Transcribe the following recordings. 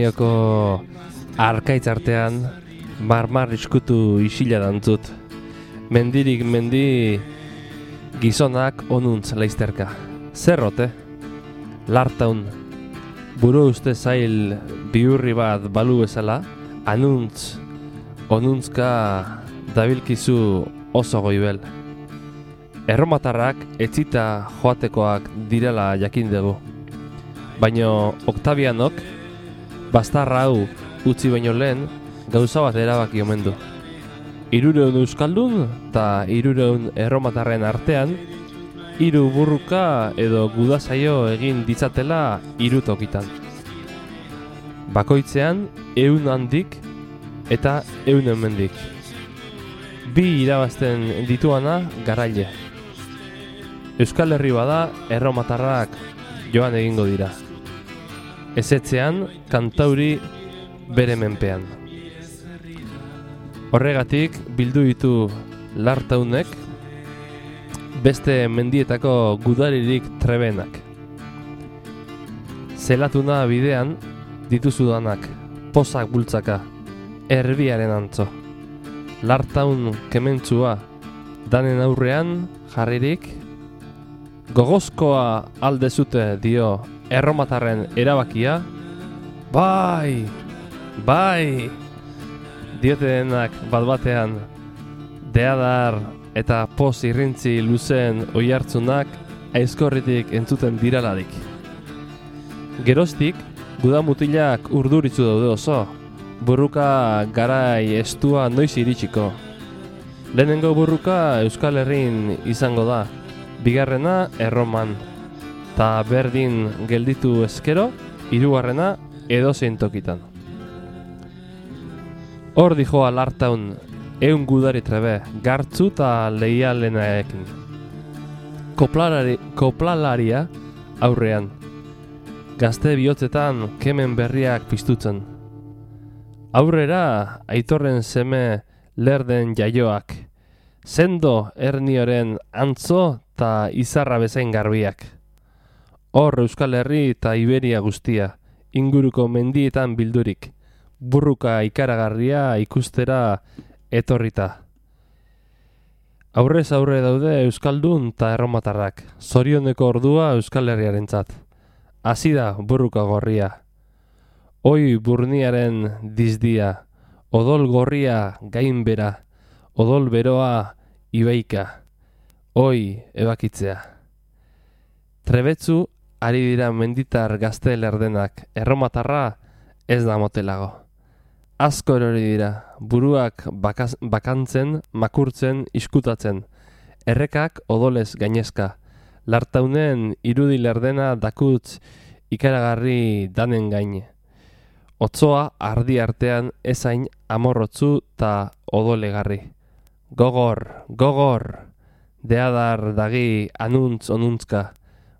Pirinaioko arkaitz artean marmar iskutu isila dantzut. Mendirik mendi gizonak onuntz laizterka. Zerrote? Lartaun. Buru uste zail bihurri bat balu bezala, anuntz, onuntzka dabilkizu oso goibel. Erromatarrak etzita joatekoak direla jakin dugu. Baina Octavianok, bastarra hau utzi baino lehen, gauza bat erabaki omen du. 300 euskaldun eta 300 erromatarren artean, 3 burruka edo gudazaio egin ditzatela 3 tokitan. Bakoitzean 100 handik eta 100 hemendik. 2 irabazten dituana garaile. Euskal Herri bada erromatarrak joan egingo dira. Ezetzean kantauri bere menpean. Horregatik bildu ditu Lartaunek beste mendietako gudaririk trebenak. Zelatuna bidean dituzudanak, pozak bultzaka, erbiaren antzo. Lartaun kementzua danen aurrean jarririk, gogozkoa aldezute dio erromatarren erabakia, bai, diote denak bat-batean, deadar eta poz irrintzi luzen oihartzunak aizkorritik entzuten diraladik. Geroztik, gudamutilak urduritzu daude oso, burruka garai estua noiz iritsiko. Lehenengo burruka Euskal Herrin izango da, bigarrena Erroman, ta berdin gelditu ezkero, 3. edozein tokitan. Hor dijoa Lartaun, 100 gudari trebe, gartzu eta leialenaekin. Koplalaria aurrean, gazte bihotzetan kemen berriak piztutzen. Aurrera aitorren seme lerden jaioak, sendo ernioren antzo eta izarra bezain garbiak. Hor Euskal Herri eta Iberia guztia, inguruko mendietan bildurik, burruka ikaragarria ikustera etorrita. Aurrez aurre daude Euskaldun eta erromatarrak, zorioneko ordua Euskal Herriarentzat. Hasi da burruka gorria. Oi burniaren dizdia, odol gorria gainbera, odol beroa ibeika. Oi ebakitzea. Trebetzu ari dira menditar gazte lerdenak, erromatarra ez da motelago. Asko erori dira, buruak bakantzen, makurtzen, iskutatzen. Errekak odolez gainezka. Lartaunen irudi lerdena dakutz ikaragarri danen gaine. Otzoa ardi artean ezain amorrotzu eta odolegarri. Gogor, deadar dagi anuntz onuntzka.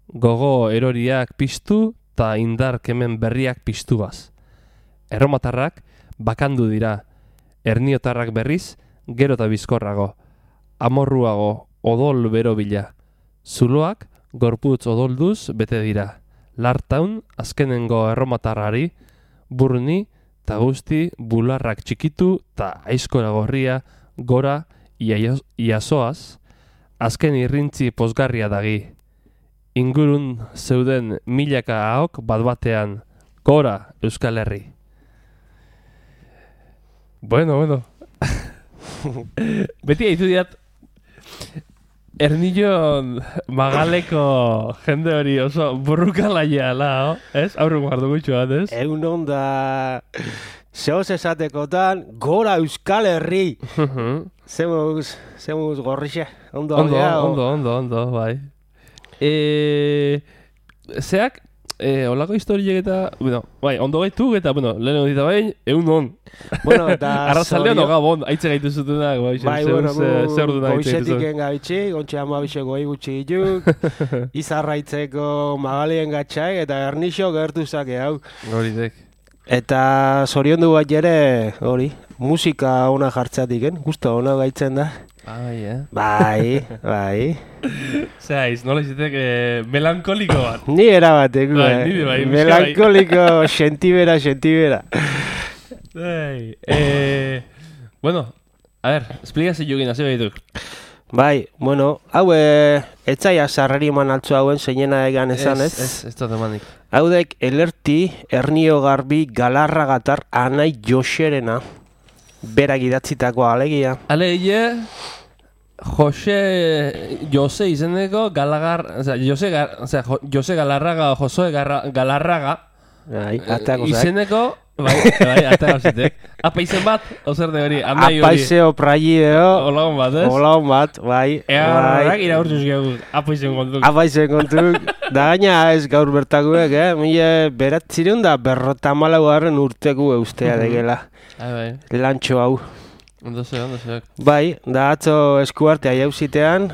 Gogo eroriak piztu eta indar kemen berriak piztubaz. Erromatarrak bakandu dira, erniotarrak berriz gero eta bizkorrago, amorruago odol bero bila. Zuloak gorputz odolduz bete dira. Lartaun azkenengo erromatarrari, burni eta guzti bularrak txikitu eta aizkora gorria gora iasoaz, azken irrintzi pozgarria dagi. Ingurun zeuden milaka ahok bat-batean, gora Euskal Herri. Bueno. Beti haitu diat Ernillon Magaleko jende hori oso burrukalaia lao, ez? Aurrun guardu gutxu bat, ez? Egun onda zehoz esatekotan gora Euskal Herri. Zemuz gorrixe. Ondo, bai. Zeak, olako historiek eta, bai, ondo gaitu eta, lehen dita bain, egun on. Bueno, eta arrazaldean oga bon, haitze gaitu zutenak, bai, zer duna haitze gaitu goizetik engabitxi, gontxe amabixe goi gutxi dituk, izarraitzeko magalien gatxai, eta ernixo gertu zake hau. Horitek. Eta zoriondu bat jere, hori, musika ona jartzeatik, guztu ona gaitzen da. Bai. Zehaiz, nola izitek melankoliko bat. Ni erabatek, bai, melankoliko, sentibera. Bueno, a ver, esplikazio jogin, hasi behituk. Bai, bueno, hau etzaia sarreri eman altzu hauen zeinena egan esan ez? Ez dut emanik. Haudek elerti, Ernio Garbi, Galarragatar, Anai Joserena, berak idatzitako alegia. Alegia, Jose izeneko Jose Galarraga, Josue Galarraga, izeneko, bai, arte gauzitek. Apa izen bat, ozer de hori, amai hori. Apaizeo praideo. Olagon bat, ez? Olagon bat, bai. Egarrak iraurtuz gehu, apa izen kontuk. Apa izen kontuk. Da gaina ez gaur bertakuek, mila beratzireun da berrotamalagarren urteku eustea degela. Bai. Lantxo hau. Ondo ze. Bai, da atzo eskuartea jauzitean,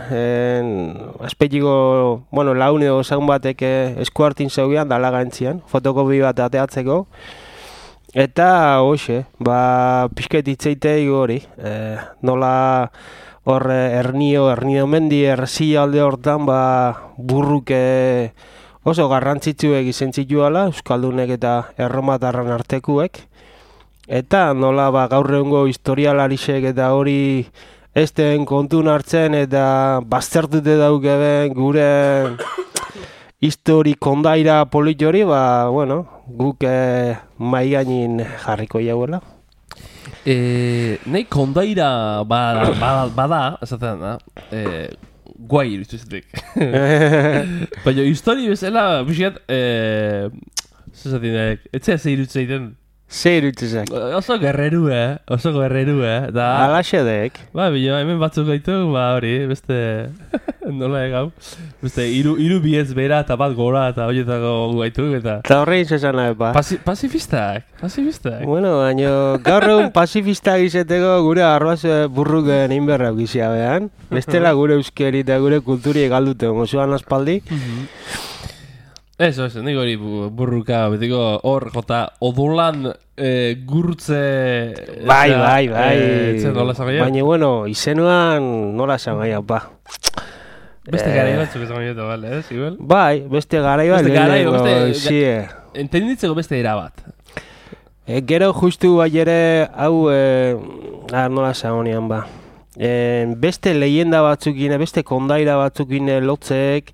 aspetiko, bueno, laun edo zaun batek eskuartin zeugean, dalaga entzian, fotokopi bat ateatzeko. Eta, hoxe, pixket itzeitei hori, nola hor Ernio mendi errezia alde hortan, burruk oso garrantzitsuek izen zituela, Euskaldunek eta erromatarran artekuek. Eta nola gaur egungo historialarisek eta hori esten kontun hartzen eta baztertute daukeben gure histori kondaira polit hori, bueno, guk mai gainin jarriko jauela. Nei kondaira bada, esaten da, guai irudizuzetik. Baina histori bezala, biziat, zezatik, etzea ze iruditzeiten. Ze iruditzezak? Oso guerreru, da... Alaxe dek. Bila, hemen batzuk gaitu, hori, beste... nola egau. Beste, iru biez bera eta bat gora eta horietako gaitu, eta... Eta horrein zezana, Pasifistak. Bueno, baina gaur egun pasifistak izeteko gure arroaz burruk egin berra gizia behan. Bestela gure euskeri eta gure kulturi egaldute, mozuan aspaldi. Eso, nik hori burruka, betiko hor, jota, odolan gurtze... Bai. Nola zagaia? Baina, bueno, izenuan nola zagaia, Beste garai batzuk esan gaia, bale, igual? Bai, beste garai bat. Entenditzeko beste erabat. Gero justu bai ere, hau, nola zagonian, beste leyenda batzukin, beste kondaira batzukin lotzeek,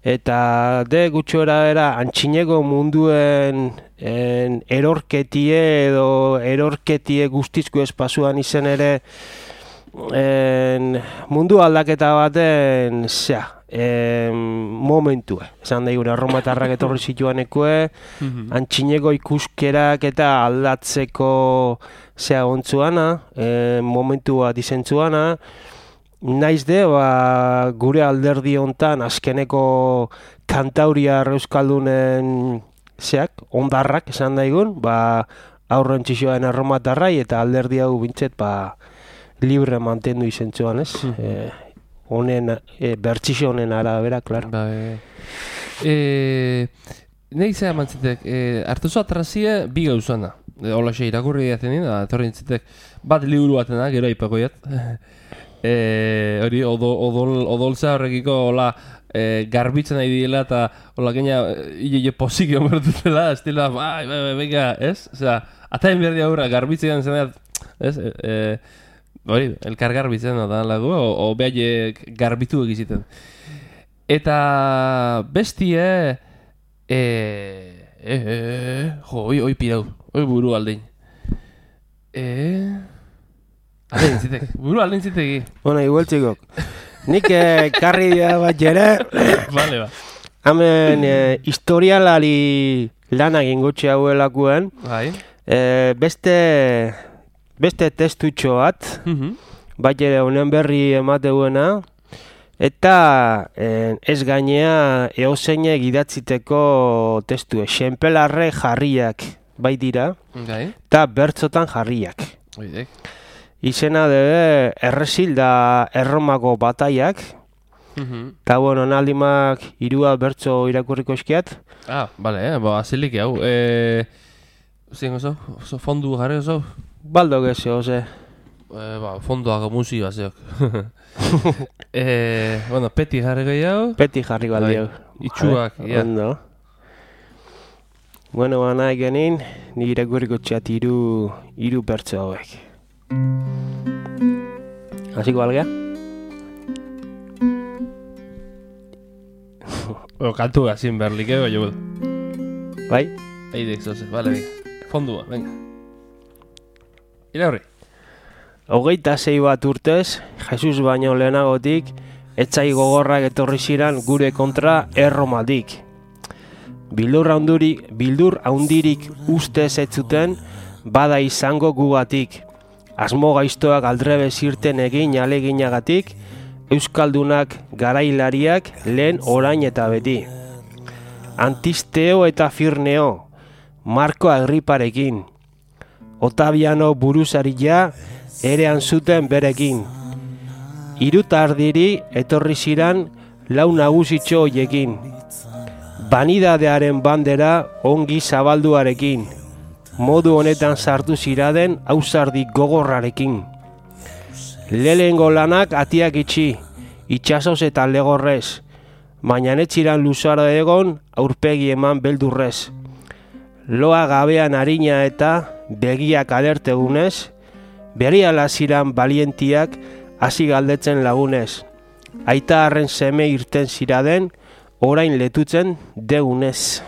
eta gutxora era antxineko munduen erorketie edo erorketie guztizko espasuan izen ere mundu aldaketa baten momentua. Esan da gure erromatarrak etorri zituanekue, antxineko ikuskerak eta aldatzeko ontzuana, momentu bat izentzuana. Naiz de, gure alderdi hontan azkeneko kantauriar euskaldunen ondarrak esan daigun, aurren txixoan erromatarrai eta alderdi hau bintzet, libre mantendu izentzuan, ez? Honen, bertxixo honen arabera, klar. Nei zera mantzitek, hartuzo atrazie bi gauzana. Olaxe irakurri diaten nina, etorri nintzitek, bat liburu batena, gero aipakoiat. Hori, odoltza horrekiko garbitzen nahi diela eta hola gaina ile pozik egon bertutela, estila, venga, ez? Osea, ataen behar diagurra, garbitzen zenean, ez? Hori, elkar garbitzen da lagu, o behaiek garbitu egiziten. Eta bestie, oi pirau, oi buru aldein. Aldein zitek, buru aldein ziteki. Bueno, igual txikok. Nik karri dia bat jere. Vale, Hemen historialari lanak ingutxe hauelakuen. Beste testutxo bat. Bat jere honen berri emateguena. Eta ez gainea eozeinek idatziteko testue. Xenpelarre jarriak bai dira. Eta bertzotan jarriak. Izena debe Erresil da Erromako bataiak. Eta bueno, naldimak irua bertzo irakurriko eskiat. Bale, azilik hau. Zein oso fondu jarri oso? Baldo geze, oze. fondoako musika zeok. Bueno, peti jarri gehiago. Peti jarri baldi hau. Itxuak, ja. Ondo. Bueno, nahi genin, nire gurriko txat iru bertso hauek. Hasiko algea? Kantu gazin berlik, jo. Bai? Eidek zoze, bale, venga. Fondua, venga. Ira horri. 26 bat urtez, Jesus baino lehenagotik, etzai gogorrak etorri ziran gure kontra Erromatik. Bildur haundirik ustez ez zuten, bada izango gugatik. Asmo gaiztoak aldrebe zirten egin aleginagatik, euskaldunak garailariak lehen orain eta beti. Antisteo eta Firneo, Marko Agriparekin. Otaviano buruzaria erean zuten berekin. Irutardiri etorri ziran lau nagusitxo hoiekin. Banidadearen bandera ongi zabalduarekin. Modu honetan sartu ziraden ausardi gogorrarekin. Lehengo lanak atiak itxi, itxasoz eta legorrez, baina netziran luzaro egon aurpegi eman beldurrez. Loa gabean harina eta begiak alertegunez, berehala ziran balientiak hasi galdetzen lagunez. Aita harren seme irten ziraden, orain letutzen degunez.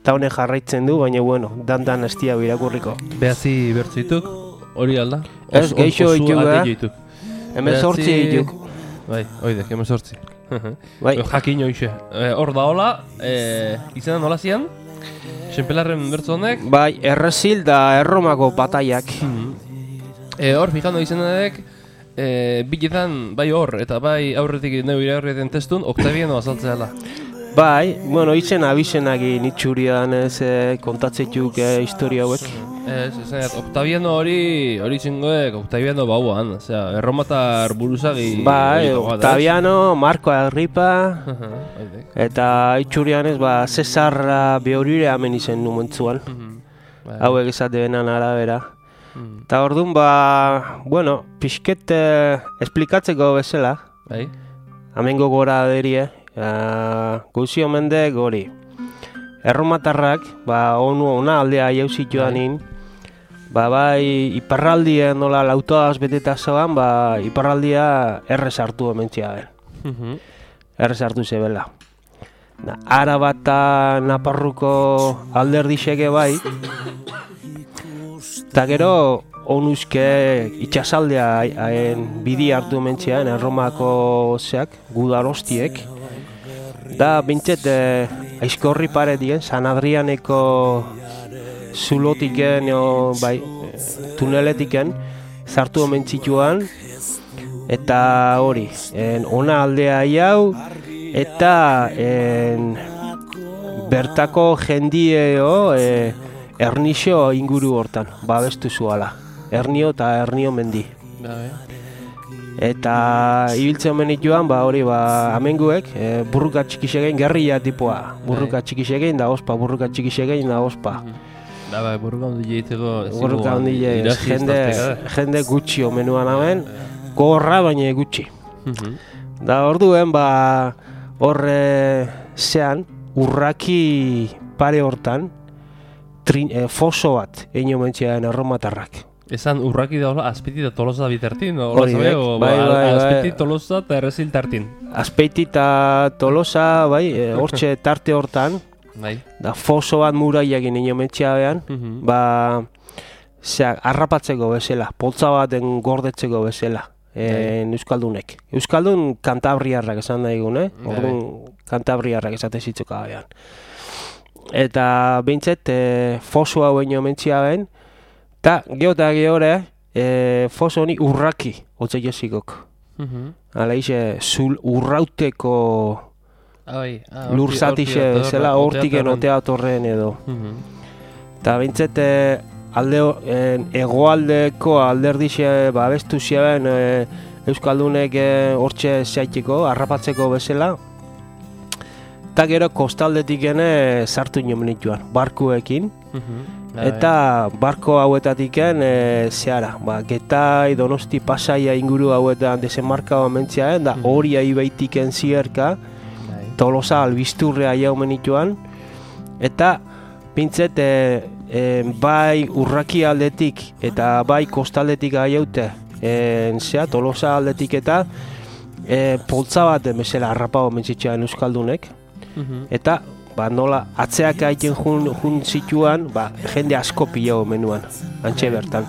Ta honek jarraitzen du, baina bueno, dan estia birakurriko. Behatzi bertzuituk, hori alda? Ez, geixo dituk, Hemen sortzi dituk. Bai, oidek, hemen sortzi. Bai. Jakin hoxe. Hor da hola, izena nola zian? Senpelarren bertzu honek? Bai, Errezil da Erromako bataiak. Hor, fijando izenadek, biletan, bai hor, eta bai aurretik neu iragarrieten testun, Octaviano azaltzea dela. Bai, bueno, izen abizenakin itxurian ez kontatzetuk historia hauek. Octaviano hori zingoek, Octaviano bauan, osea, erromatar buruzagi... Bai, Octaviano, Marko Agripa, eta itxurian ez, Cesar Beorire hemen izen numentzuan. Hauek esate benan arabera. Eta orduan, bueno, pixket esplikatzeko bezala, hemengo gora derie, guzio mendek hori. Erromatarrak, ona aldea jauzituanin, bai iparraldia nola lautoaz beteta zoan, iparraldia errez hartu ementzia ben. Errez hartu zebela. Araba eta Naparruko alderdixeke bai, eta gero onuzke itxasaldea bidi hartu ementzian, Erromako zeak, gudarostiek. Da, bintzet, aizkorri paretien, San Adrianeko zulotiken, tuneletiken, zartu omentzituan, eta hori, ona aldea jau, eta bertako jendieo Ernixo inguru hortan, babestu zuala. Ernio eta Ernio mendi. Eta ibiltzen omenit joan, hori, amenguek, burruka txikisegin gerria tipoa. Burruka txikisegin da ospa, burruka txikisegin da ospa. Burruka ondile egiteko... Burruka ondile, jende gutxi omenuan hamen, gorra baina gutxi. Da orduen, horre zean, urraki pare hortan, foso bat egin omentzian Erromatarrak. Esan urraki da Azpeiti eta Tolosa bitertin? Bai. Azpeiti, Tolosa eta Errezil tartin? Azpeiti eta Tolosa, hortxe tarte hortan, da foso bat muraiak egin omentzia behan, harrapatzeko bezala, poltza baten gordetzeko bezala, Euskaldunek. Euskaldun kantabriarrak esan nahi gune, kantabriarrak esate zitzuka behan. Eta bintzet, foso hau egin omentzia behan, eta geore, foso honi urraki hotze jesikok. Hala ize, urrauteko lurzatixe zela hortiken otea torren edo. Eta bintzet, egoaldeko alderdixe babestu ziren Euskaldunek hortxe zeaiteko, harrapatzeko bezala. Eta gero kostaldetik sartu inomenituan, barkuekin. eta barko hauetatiken zehara, Getai, Donosti, Pasaia inguru hauetan desenmarkaua mentziaen, da hori aibaitiken zierka, Tolosa albisturrea jaumen ituan, eta pintzet bai urraki aldetik eta bai kostaldetik aiaute, Tolosa aldetik eta poltza bat bezala harrapau mentzitxean euskaldunek, eta nola atzeak aiten jun zituan, jende asko pilau menuan, antxe bertan.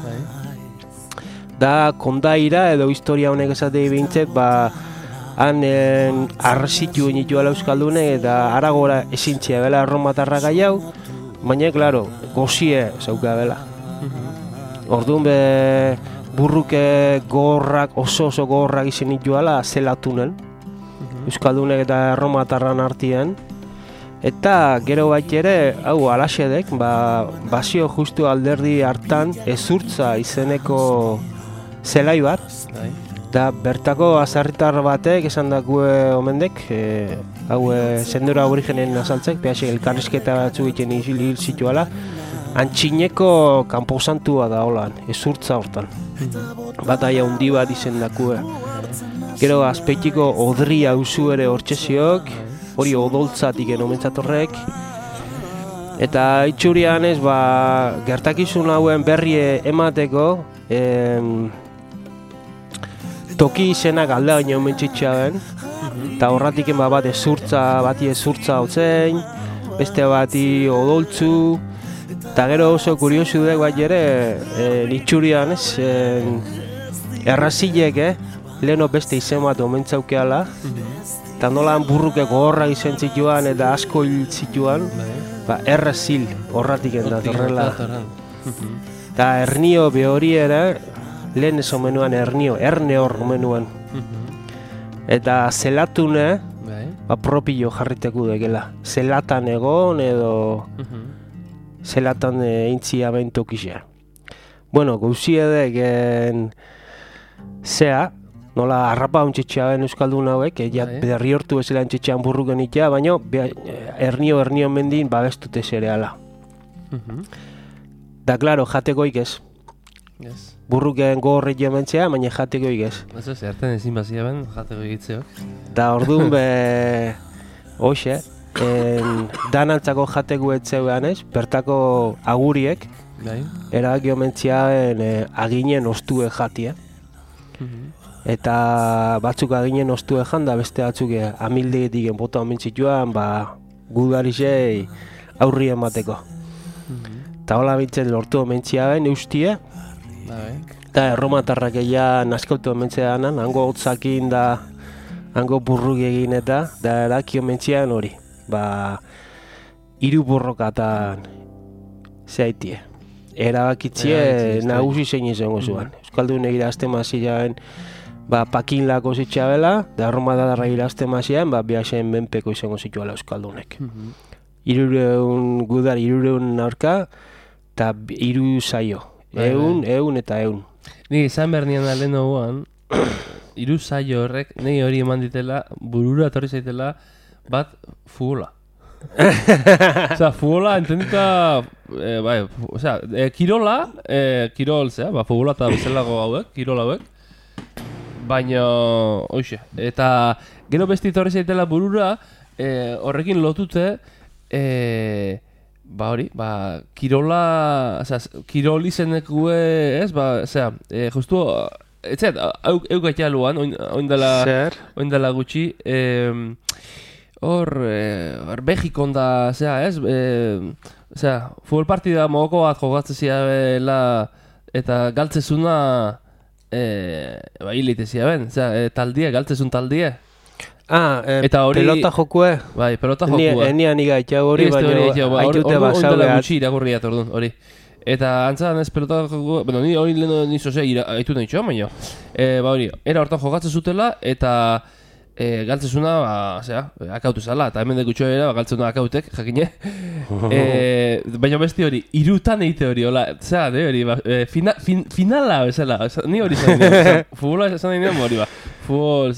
Da kondaira edo historia honek esatei bintzet, han arrezitu nituela euskaldune eta aragora ezintzia bela erromatarra gaiau, baina, klaro, gozie zauka bela. Orduan burruke gogorrak, oso gogorrak izan nituela zelatunen, euskaldunek eta erromatarran artian, eta gero bait ere, hau alaxedek, basio justu alderdi hartan ezurtza izeneko zelai bat, da bertako azarritar batek esan dakue omendek, hau zendura aborigenen azaltzek, behasek elkarrizketa batzu egiten hil zituala, antxineko kanposantua da holan, ezurtza hortan. Bataia hundi bat izen dakue. Gero azpeitiko odria auzu ere hortxeziok, hori odoltzatik omentzatorrek. Eta itxurian ez, gertakizun hauen berri emateko, toki izenak alde baino omentzitxea den, eta horratik bat bati ezurtza hotzein, beste bati odoltzu, eta gero oso kuriosu dek bat ere, itxurian ez, errazilek, leheno beste izen bat omentzaukeala, eta nolan burruke gogorra izen zituan eta asko hil zituan, errazil horratik endatorrela. Eta ernio behori ere, lehen ez omenuan erne hor omenuan. Eta zelatune, propio jarriteko degela. Zelatan egon edo zelatan eintzia bentukizea. Bueno, gauzi edek zea, nola harrapa ontxetxea ben euskaldun hauek, berri hortu bezala ontxetxean burruken itea, baina ernio mendin babestute zereala. Da, klaro, jatekoik ez. Burruken gogorret jomentzea, baina jatekoik ez. Ez ez, erten ezin bazia ben, jateko egitzeok. Da, orduan hoxe, danantzako jateko etzeuan ez, bertako aguriek, erabaki omentziaen aginen ostue jatia. Eta batzuk aginen ostue jan, da beste batzuk amildegetik bota omentzituan, gudarizei aurri emateko. Eta hola bintzen lortu omentziaen eustie, eta erromatarrak egia naskautu omentzeanan, hango hotzakin da, hango burruk egin eta, da eraki omentziaen hori. Hiru borrokatan zehaitie. Erabakitzie nagusi zein izango zuen. Euskaldun egira azte maziaen pakin lako zitxabela, da erromatarra egira azte maziaen, bihasen menpeko izango zituela Euskaldunek. 300 gudar, 300 aurka, eta 3 saio. Eun eta eun. Ni izan behar nian alden hoguan, 3 saio horrek, nahi hori eman ditela, burura etorri zaitela, bat fugola. Osea, fugola entendita, kirola, kirol, fugola eta bezalago hauek, kirola hauek, baina, hoxe, eta gero besti etorri zaitela burura, horrekin lotute, kirola, kirol izenekue, ez, justu, etzat, eukaitea luan, oindela gutxi, hor Mexikon da, ez, futbol partida mogoko bat jogatzezia bela, eta galtzezuna, hilitezia ben, taldie, galtzezun taldie. Pelota jokue? Bai, pelota jokue. Enian igaitxau hori, baina haitute basabeat. Gutxi irakurriat orduan, hori. Eta antzan ez pelota jokue, bueno, ni hori lehen nizose haitu nahi txoa, baina. Hori, era hortan jogatzen zutela, eta galtzezuna, akautu zala, eta hemen dekutxo era, galtzezuna akautek, jakine. Baina besti hori, irutan egite hori, hola, hori, finala, bezala, ni hori zan dira, futbola zan dira hori, futbol,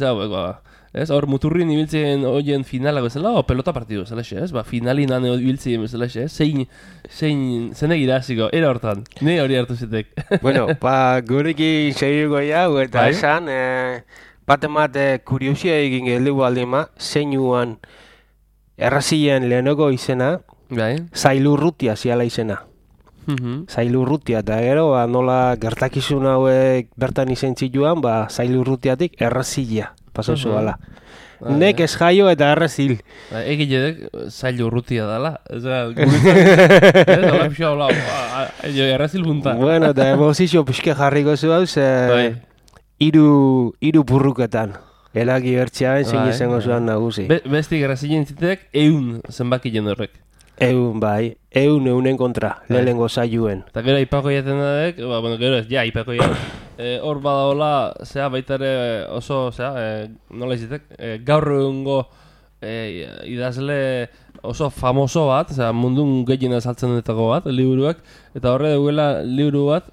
Ez, hor muturrin ibiltzen hoien finala bezala, o pelota partidu bezala xe, ez? Ba, finalinan ibiltzen bezala xe, zein egira hasiko, era hortan, ne hori hartu zitek. Bueno, gurekin segiko jau, eta Bai. esan, bat kuriosia egin geldigu aldima, zeinuan errazilen lehenoko izena, Bai. Zailurrutia ziala izena. Zailurrutia, eta gero, nola gertakizun hauek bertan izen zituan, Zailurrutiatik errazila, pasauzu gala. Nek ez jaio eta errazil. Egilek zail urrutia dala. Guretzat, hola pixo, hola, errazil punta. Bueno, eta emozizio pixke jarriko zu hau, hiru burruketan. Elaki bertxean, zein izango zuan nagusi. Bestik errazilen zitek, 100 zenbaki horrek. Eunen kontra, lehenengo zailuen. Eta gero aipako jaten dadek, gero ez, aipako jaten. Hor badaola, baitare oso, nola izitek, gaur egungo idazle oso famoso bat, mundun gehien azaltzen detako bat, liburuak, eta horre duela liburu bat,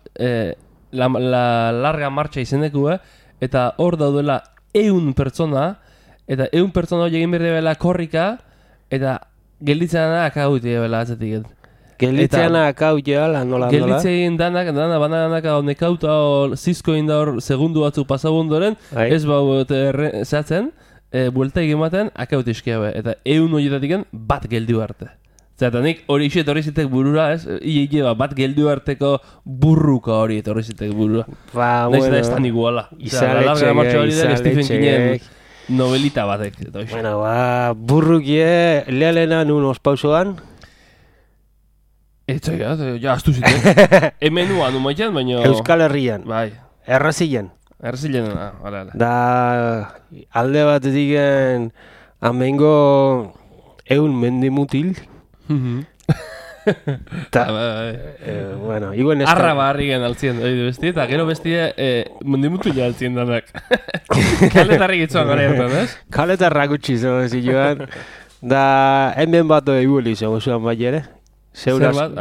la larga marcha izenekua, eta hor daudela 100 pertsona, eta 100 pertsona hori egin behar dela korrika, eta gelditzen dana akauti ebela atzetik. Gelditzen akauti ala, nola? Gelditzen danak banadanak nekauta zizko inda hor segundu batzu pasabundoren, ez bau zehatzen, buelta egin akauti eskia be. Eta 100 horietatik bat geldiu arte. Zerata nik hori iso etorri zitek burura, ez? Bat geldiu arteko burruka hori etorri zitek burura. Naiz da ez tan iguala. Stephen Kingen novelita batek. Bueno, burrukie lehalena nun ospauzoan. Ja, astu zitek. Hemen nuan numaitan, baina... Euskal Herrian. Bai. Errazilen. Errazilen, hala. Da, alde bat digen, amengo 100 mendimutil. Bueno, iguen ez... Arra barri gen altzien, besti, eta gero bestia mendimutila altzien danak. Kaletarrik itzuan gara hartan, ez? Kaletarrak utzi zen, joan. Da, hemen bat egueli zen, osuan bai ere. Zer bat?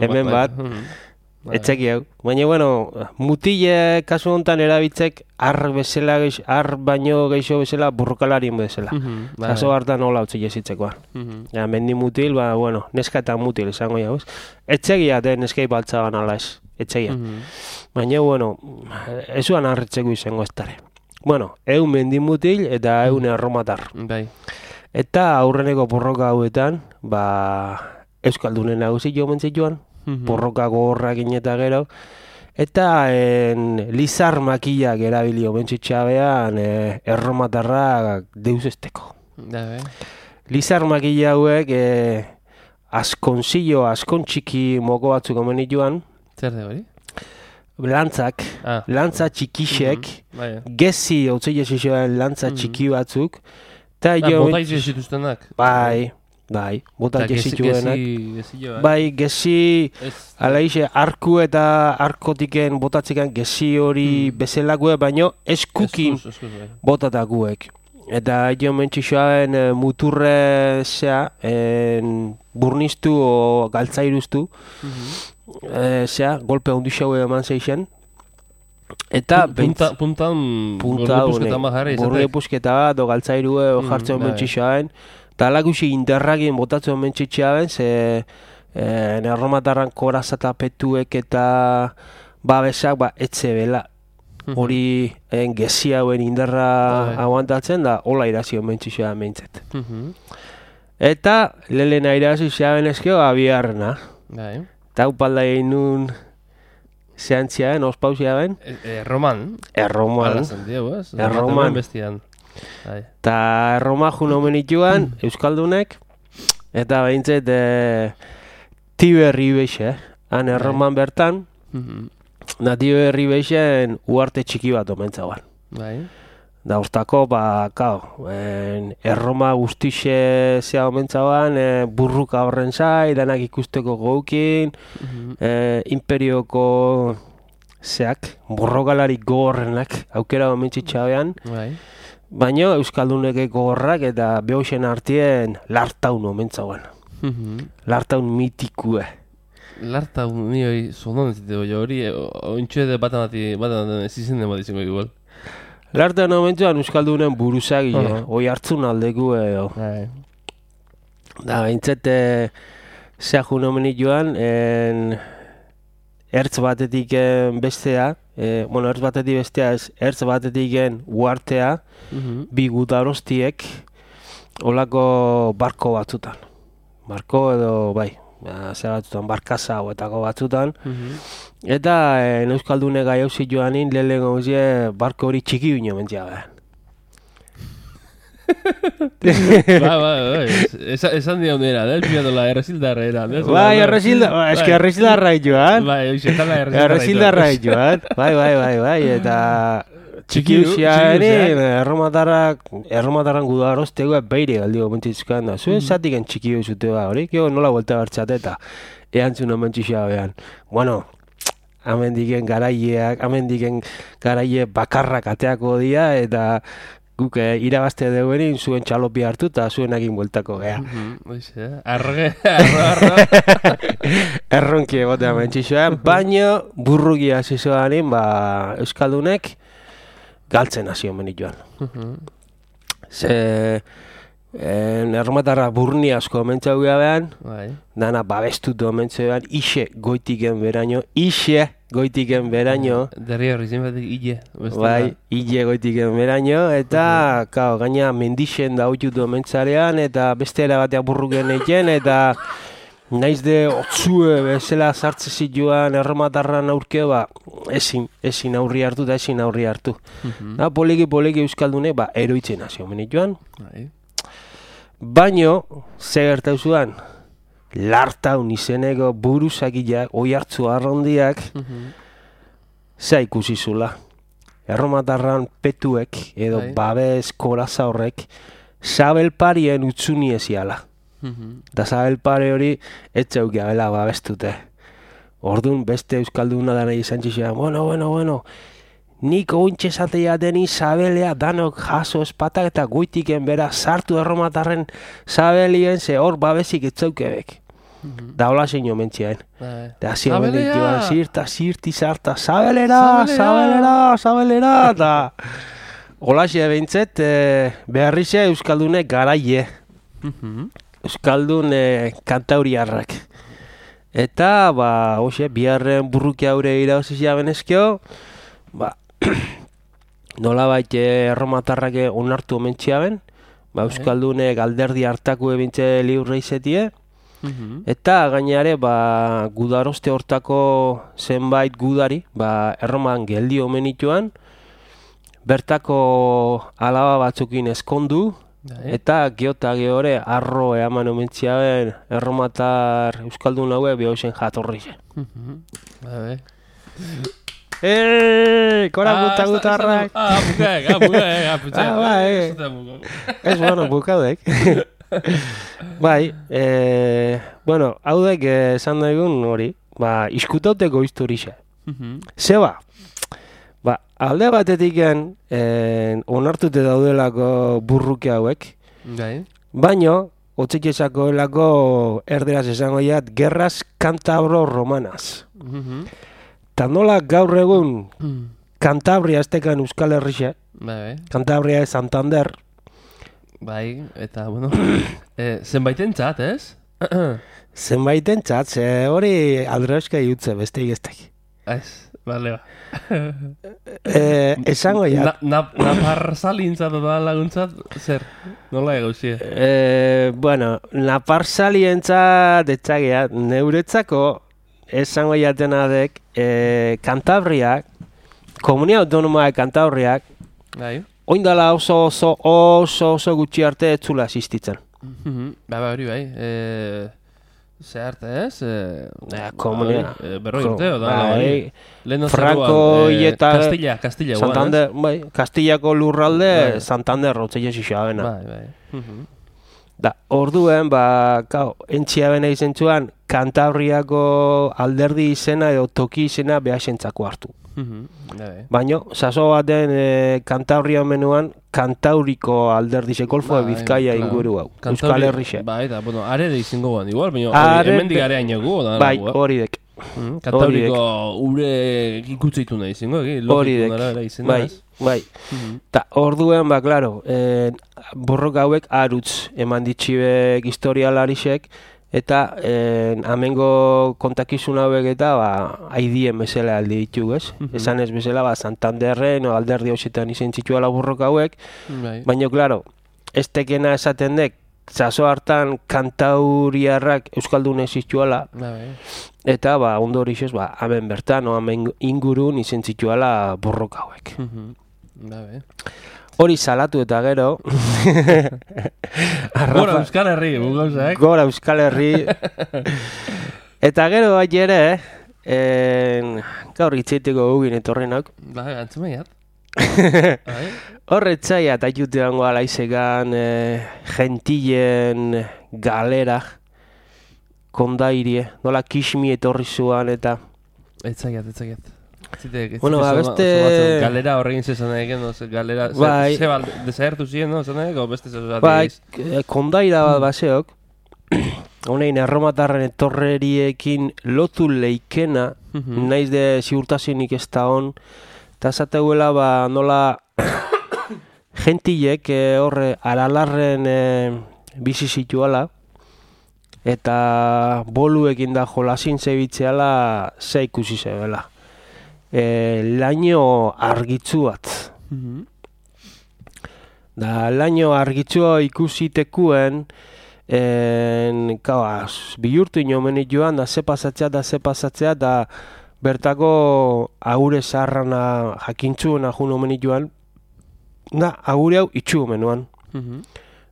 Hemen bat. Etxeki hau. Baina, bueno, mutile kasu honetan erabitzek ar baino geixo bezala burrukalarien bezala. Kaso hartan hola utzi jesitzekoa. Mendi mutil, bueno, neska eta mutil izango jau, ez? Etxegia den neskei baltzaban ala ez. Etxegia. Baina, bueno, ezuan harritzeko izango ez dara. Bueno, 100 mendi mutil eta 100 erromatar. Eta aurreneko borroka hauetan, Euskaldunen nagusi jo mentzituan, porroka gogorrak eta gero, eta lizar makillak erabilio mentzitxabean erromatarrak deus esteko. Lizar makilla hauek askon txiki moko batzuk omen dituan. Zer de hori? Lantza txikixek, gezi hau zilezizioan lantza txiki batzuk. Bota izizituztenak? Bai, bota gesituenak. Gesi, alaixe, arku eta arkotiken botatzekan gesi hori bezalakoe, baino eskukin botatakuek. Eta jo mentxixoaen muturre burnistu o galtzairuztu, golpe ondixaue eman zeixen. Eta puntan burri pusketa bat o galtzairue o jartzen mentxixoaen. Eta alakusi interragien botatzen mentxitxeaben, erromatarran korazatapetuek eta babesak etxe bela. Hori gezi hauen indarra aguantatzen da, hola irazio mentxitxeaben mentzet. Eta lehena irazio xeaben ezkeo abiarrena. Eta upalda egin nun zeantziaben, ospauziaben. Erroman. Erroman. Eta erromajun omen ituan, Euskaldunek, eta behintzet Tiberri beixe, han erroman bertan, da Tiberri beixen uarte txiki bat omen zauan. Da ustako, erroma guztixe zea omen zauan, burruka horren zai, danak ikusteko gaukin, imperioko borrokalarik gogorrenak, aukera omen txitxabean, baina Euskalduneke gogorrak eta behoxen artien lartaun omentzauen. Lartaun mitikue. Lartaun ni hori zonan zite hori, ointxue de batan ez izen dema dizengo igual. Larte momentuan Euskaldunen buruzagile, oi hartzun aldeku edo. Da, bintzete, zea junomenik joan, ertz batetik bestea, ertz batetik bestea ez, ertz batetik uartea, bi gudarostiek, olako barko batzutan. Barko edo, bai, zea batzutan, barkaza hauetako batzutan. Eta Euskaldune gai hauzi joanin, lehen gauzie barko hori txiki bino mentzia behar. Bai, esan dio nera, pilatola erresildarra era. Bai, eski erresildarra joan. Bai, xetala erresildarra joan. Bai, eta txiki usiaren erromatarran gudaroztegoa beire galdio mentzitzkan da. Zuen zatiken txiki usute ba hori, nola vuelta bertxate eta eantzun omentxixea behan. Bueno, amendiken garaie bakarrak ateako dia eta guk irabazte deuenin zuen txalopi hartu eta zuen egin bueltako gea. Arro. Erronki egotea mentxixoan, baina burrugia zizoanin, Euskaldunek galtzen hasio menit joan. Ze erromatarra burni asko mentxau gabean, dana babestutu mentxau gabean, ixe goitiken beraino. Derri horri zenbatik ille. Bai, ille goitiken beraino, eta gaina mendixen da hotxutu mentxarean, eta beste erabatea burruken eiken, eta naiz de otzue bezala sartze zituan erromatarran aurkeo, ezin aurri hartu eta ezin aurri hartu. Poliki Euskaldune, eroitzen hasio menit joan. Baino, ze gertau zuan, lartaun izeneko buruzakiak, oi hartzu arrondiak, za ikusi zula. Erromatarran petuek, edo babes koraza horrek, zabelparien utzuni eziala. Da zabelpare hori, etxeuk gabela babestute. Orduan, beste Euskalduna dana izan txixean, bueno, nik ointxe zatea deni zabelea danok jaso espatak eta goitiken bera sartu erromatarren zabelien ze hor babesik etzaukebek. Da hola zein omentziaen. Da zio bendik joan zirti sarta, zabelera, eta hola xe behintzet, beharrize Euskaldunek garaie. Euskaldun kantauriarrak. Eta, biharren burruki haure irauzizia benezkio, nola baite erromatarrak onartu omentzia ben, Euskaldunek alderdi hartaku ebintze liurre izetie, eta gainare gudaroste hortako zenbait gudari, erroman geldi omenituan, bertako alaba batzukin eskondu, eta geota gehore arro eaman omentzia ben erromatar Euskaldun haue behauzen jatorrize. Kora gutarrak. Ez, bukaudek. Bai, haudek esan daigun hori, iskutauteko historia. Zeba, alde batetik onartute daudelako burruke hauek, baino, otzek esakoelako erderaz esango jat, gerraz kantabro romanaz. Ta nola gaur egun Kantabria estekan Euskal Herrixe, Kantabria Santander. Bai, eta, zenbaiten txat, ez? Zenbaiten txat, ze hori aldreuzka jutze, beste igestek. Ez, bale, esango ja. Napar salintzat da laguntzat, zer? Nola egauzie? Napar salientzat etxagea, neuretzako esango jatena dek, Kantabriak, Komunia Autonomoa Kantabriak, oindala oso gutxi arte etzula asistitzen. Hori bai, ze arte ez? Komunia. Berroi urteo da. Franco eta Castilla. Santander, Castillako lurralde, Santander rotzea xixabena. Da, orduen, entzia bena izentzuan, Kantabriako alderdi izena edo toki izena behasentzako hartu. Baina, saso baten Kantabria menuan, Kantauriko alderdi zekolfoa Bizkaia inguru hau. Euskal Herrixe. Bai, eta, are da izango guan, igual, baina hemendik areaino gu. Bai, hori dek. Kantabriko ure ikutzeitu nahi zingo, logiko nara izena. Bai. Ta orduen, klaro, borroka hauek arutz eman ditxibek historialarisek, eta amengo kontakizun hauek eta haidien bezala aldi ditugu, ez? Esan ez bezala, Santanderren o alderdi hausetan izen zituela borroka hauek, baina, klaro, ez tekena esaten dek, zazo hartan kantauriarrak euskaldun ez zituela, eta ondorixez, hemen bertan, hemen ingurun izen zituela borroka hauek. Hori salatu eta gero Gora Euskal Herri, gauzak. Gora Euskal Herri. Eta gero bai ere, gaur itzeiteko gugin etorrenak. Antzumaiat. Horretzaiat aiutean goala izegan gentilen galera kondairie, nola kismi etorri zuan eta... Etzaiat. Bueno, beste... Galera horregin zezan egin, galera... Desagertu ziren, no? Zaneko, beste zezat egiz? Kondaira bat baseok, honein erromatarren etorreriekin lotu leikena, naiz de ziurtasinik ez da hon, eta zateuela nola gentilek horre aralarren bizi zituala, eta boluekin da jolasin zebitzeala ze ikusi zebela. Laino argitzu bat. Da laino argitzua ikusitekuen bihurtu inomenit joan da ze pasatzea da bertako agure zaharrana jakintzuena jun omenit joan da agure hau itxu omenuan.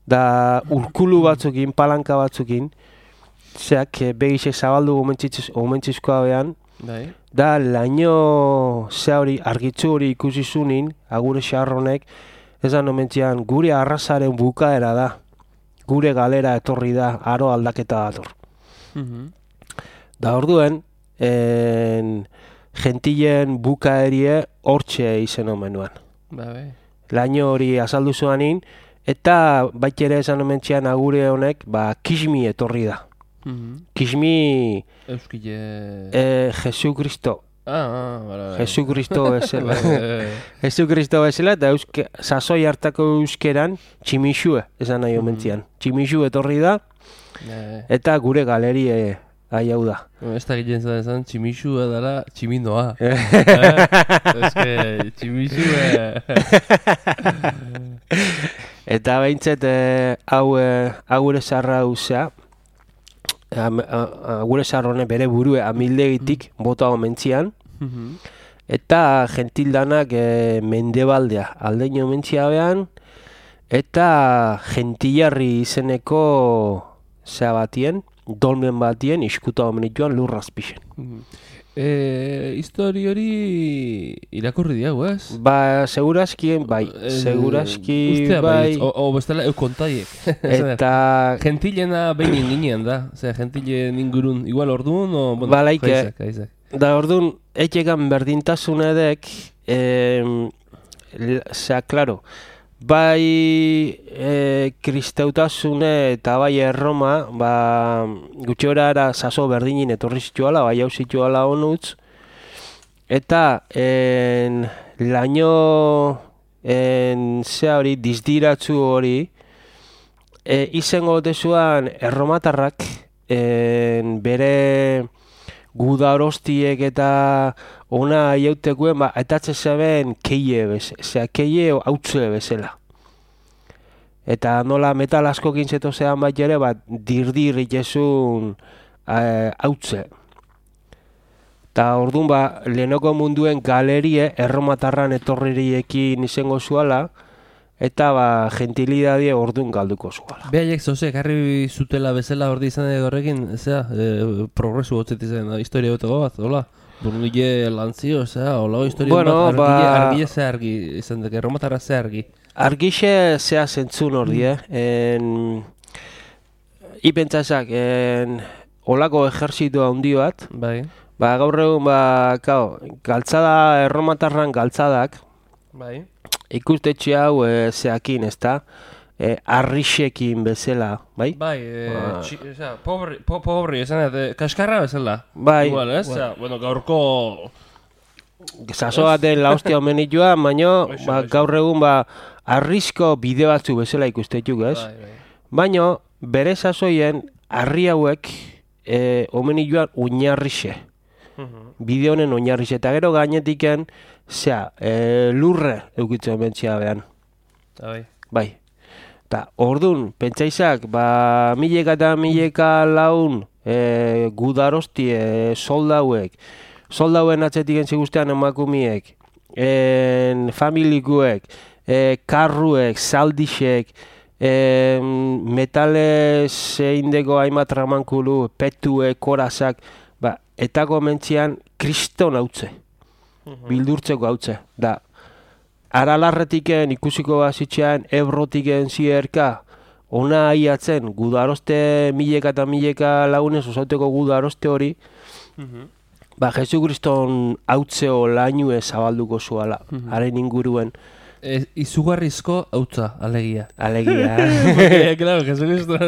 Da urkulu batzukin, palanka batzukin zeak begise zabaldu omentzizkoa behan da laino ze hori argitzu hori ikusi zunin agure xarronek ezan omentzian gure arrazaren bukaera da, gure galera etorri da, aro aldaketa dator. Da orduen, gentilen bukaerie hortxe izen omenuan. Laino hori azaldu zuanin, eta baitere esan omentzian agure honek, kismi etorri da. Kismi... Euskile... Jesukristo. Bara. Jesukristo bezala. Jesukristo bezala, eta sasoi hartako euskeran tximixue, esan nahi omentzian. Tximixue etorri da, eta gure galerie hau da. Ez da ginen zan, tximixue dara tximinoa. Ez que tximixue... Eta behintzet, gure zarra uzea, gure zarrone bere burue amildegitik bota omentzian, eta gentildanak mendebaldea aldeino omentzia behan, eta gentilarri izeneko zea batien, dolmen batien iskuta omenituan lurrazpixen. Histori hori irakurri diago, ez? Segurazki, segurazki, bai. O bestela kontaiek. Eta... Gentilena behin ginen da, gentilen ingurun, igual orduan, o... Balaike, da orduan, etxegan berdintasun edek, klaro, bai kristautasune eta bai erroma, gutxora era saso berdinin etorri zituala, bai hau zituala honutz, eta laino zea hori, dizdiratzu hori, izango dezuan erromatarrak bere gudarostiek eta ona iautekuen, etatze zeben keie hautze bezala. Eta nola metal asko gintzeto zean bat ere, dirdir itezun hautze. Eta orduan, lehenoko munduen galerie erromatarran etorririekin izango zuala, eta gentilidadie orduan galduko zuala. Behaiek zozek, harri zutela bezala ordi izan horrekin, progresu gotzet izan, historia beteko bat, hola? Burnile lantzio, hola, historia bat, argile ze argi, izan dek, erromatarra ze argi. Argixe zea zentzun ordi, ipentzazak, holako ejerzitu handi bat, gaur egun, galtzada, erromatarran galtzadak, ikustetxe hau zeakin, ezta? arrixekin bezala, bai? Bai, pobri, esan, kaskarra bezala. Bai. Igual, ez? Bueno, gaurko... Zaso baten la hostia omenitua, baino gaur egun arrisko bide batzu bezala ikustetuk, ez? Baino, bere sasoien harri hauek omenituan oinarrixe. Bide honen oinarrixe. Eta gero gainetiken, lurre eukitzen bentzia behan. Bai. Eta ordun, pentsaizak, mileka eta mileka laun gudarosti soldauek, soldauen atzetik entzigustean emakumiek, familikuek, karruek, zaldixek, metales indeko hainbat ramankulu, petuek, korazak, etako mentzian kriston hautze, bildurtzeko hautze. Da, aralarretiken ikusiko bazitxean, ebrotiken zierka, ona aiatzen, gudaroste mileka eta mileka launez, osauteko gudaroste hori, Jesu Kriston hautzeo lainue zabalduko zuala, haren inguruen. Izugarrizko hautza, alegia. Alegia. Claro, Jesu Kriston.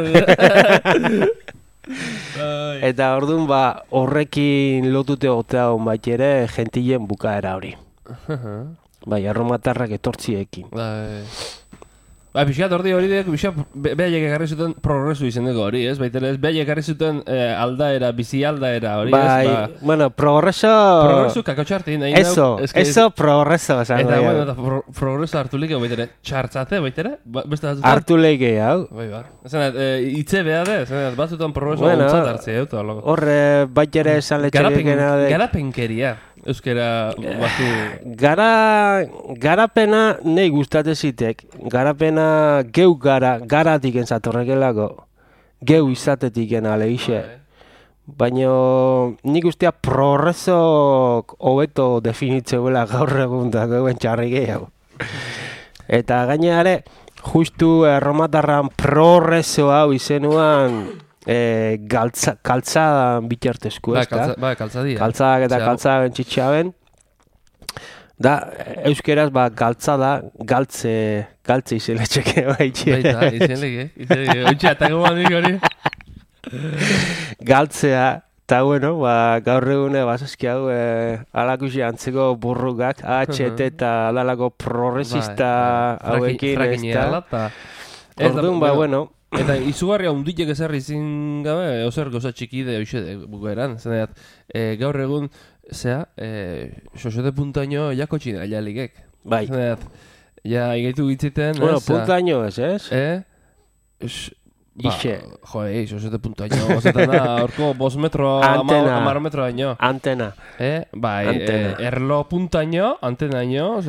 Eta orduan, horrekin lotute otea hon bat ere, gentilen bukaera hori. Bai, erromatarrak etortziekin. Pixkat hori behaiek egarri zuten progresu izendeko hori, ez? Baita ez, behaiek egarri zuten aldaera, bizi aldaera hori, ez? Bai, bueno, progreso... Progresu kakotxartin. Eso progreso, esango. Eta, bueno, progreso hartu leke baitere, txartzate baitere? Hartu leke, hau. Bai, itze behade, batzutan progreso ontzat hartzea, euta. Horre, baitere esan letxekena... Garapenkeria. Euskera batu... Garapena nahi gustate zitek. Garapena geu garatik entzatorrekelako. Geu izatetik alegixe. Baina nik ustea progresok hobeto definitzeuela gaur egun da geuen txarri gehiago. Eta gaineare, justu erromatarran progreso hau izenuan... kaltzadan bitartezko, ez da? Bai, kaltzadia. Kaltzadak eta kaltzadak txitxaben. Da, euskeraz, galtze izeletxeke baitxe. Baita, izenleke. Oitxe, atako bandik hori. Galtzea, eta bueno, gaur egune, basaski hau, alakusi antzeko burrugak, HT eta adalako progresista hauekin, ez da? Orduan, bueno... Eta izugarria hunditek ezarri izin gabe, ozer goza txikide hoxe bukaeran. Zeneat, gaur egun, xoxote puntaino jako txina jalikek. Bai. Zeneat, igaitu gitziten... Bueno, puntaino ez, Ixe. Xoxote puntaino. Ozetan da, orko 5 metro, 10 metro daño. Antena. Bai, erlo puntaino, antena daño,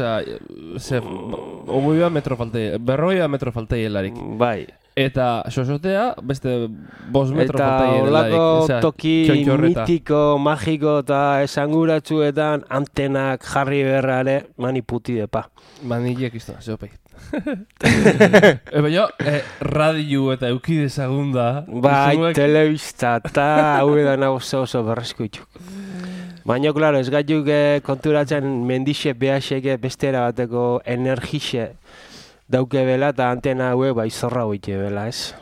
ogoia metro faltei, berroia metro faltei helarik. Bai. Eta xoxotea, beste 5 metro faltei helarik. Eta holako toki mitiko, magiko eta esanguratsuetan antenak jarri berrare maniputi depa. Manilek izan, zeopei. Baina, radio eta eukidezagun da. Bai, telebista eta hau edan oso berrezkuituk. Baina, klaro, ez gaituk konturatzen mendixe behaseke bestera bateko energixe dauke bela eta antena haue bai zorra hoite bela, ez?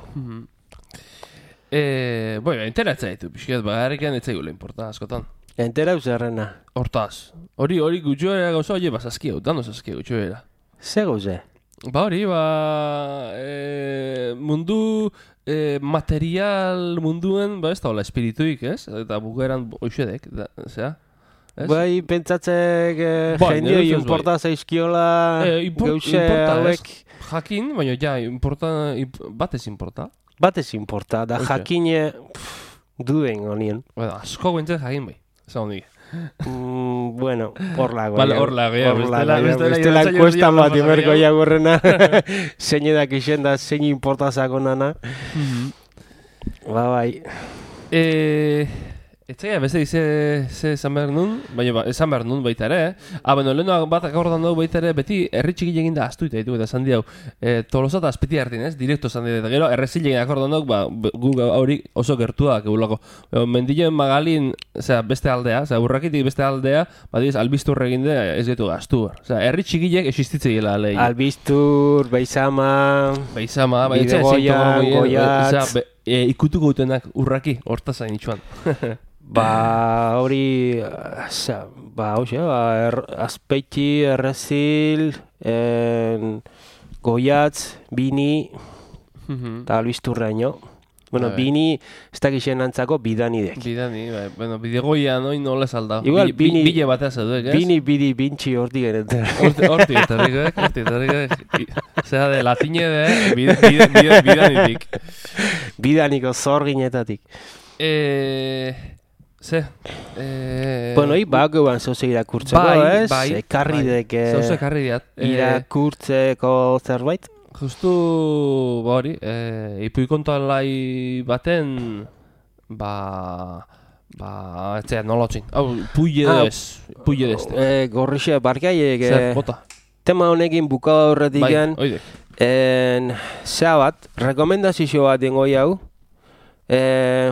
Enteratzea ditu, pixket, harriken ez zaigula importa askotan. Entera zerrena. Hortaz. Hori gutxoera gauza, oie, saskia, dano saskia gutxoera. Ze gauze? Hori, mundu material munduen, ez da hola espirituik, ez? Eta bukeran oixedek, zera? Bai, pentsatzek jenio importa zaizkiola gauze hauek. Jakin, baina batez importa. Batez importa, da jakine duden honien. Asko guentzen jakin bai, esan hondik. Bueno, horlago. Bestela enkuesta bat imerko jagurrena. Zein edak isen da, zein importa zako nana. Bai. Etzaia, beste ze esan behar nun, baina esan behar nun baita ere, bueno, lehenoak bat akordan dugu baita ere, beti herri txiki egin da astuita ditu, eta esan diau, Tolosa eta Azpiti hartin, ez? Direkto esan dira, eta gero, errezil egin akordan dugu, gu hori oso gertuak egulako. Mendilloen Magalin, beste aldea, urrakitik beste aldea, badiz, albizturre egin da, ez getu gaztu. Herri txikiek existitze gila lehi. Albiztur, Beizama, Bidegoian, Goiatz, ikutuko dutenak urraki, hortazain itxuan. Hori, Azpeiti, Errezil, Goiatz, Bini, eta albizturraino. Bueno, Bini, ez dakixen antzako bidanidek. Bidani, bueno, bidegoian oin nola saldau. Igual, Bile batea zauduek, ez? Bini, bintxi hortik geneten. Hortik etorrik. Zera de latine de bidanitik. Bidaniko zorginetatik. Bueno, bakeuan zoze irakurtzeko, ez? Ekarri deke zoze ekarri diat. Irakurtzeko zerbait? Justu, hori, ipuikontoan lai baten, etzea, nola otzin. Puille dez. Gorrixe, barkaiek, Zer, bota. tema honekin buka horretik gen, zea bat, rekomendazio bat dengoi hau,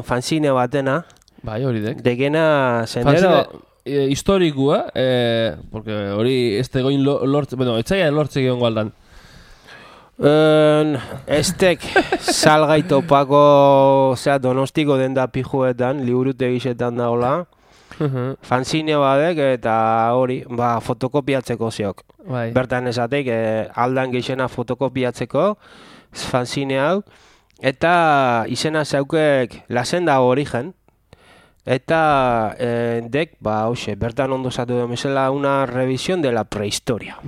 fanzine batena, Bai, hori dek. Degena sendero... Historikua, porque hori ez tegoin lortze... Bueno, etzaia lortze gion gualdan. Estek salgai topako... Donostiko den da pijuetan, liburute gizetan daola. Fanzine badek eta hori, fotokopiatzeko ziok. Bai. Bertan esatek, aldan gizena fotokopiatzeko, fanzine hau. Eta izena zaukek Lasenda Origen. Eta dek, bertan ondo zatu den bezala una revisión de la prehistoria.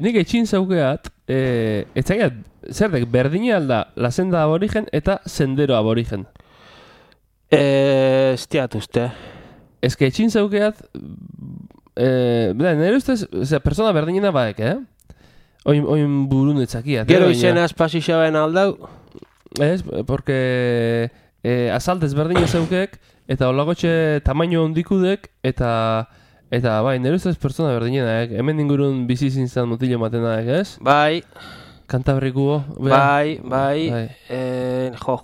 Nik etxin zaukeat, etzaiat, zer dek, berdine alda Lasenda Aborigen eta Sendero Aborigen. Ez tiat uste. Ez que etxin zaukeat, nire ustez, persona berdinena baek, Oin burun etzakiat. Gero izena espazixaben aldau? Ez, porque azaltez berdine zaukek, eta holagotxe tamaino hondikudek, eta bai, nire ustez pertsona berdinenak, hemen ingurun bizi zintzen mutile matenak, ez? Bai. Kantabrikuo? Bai.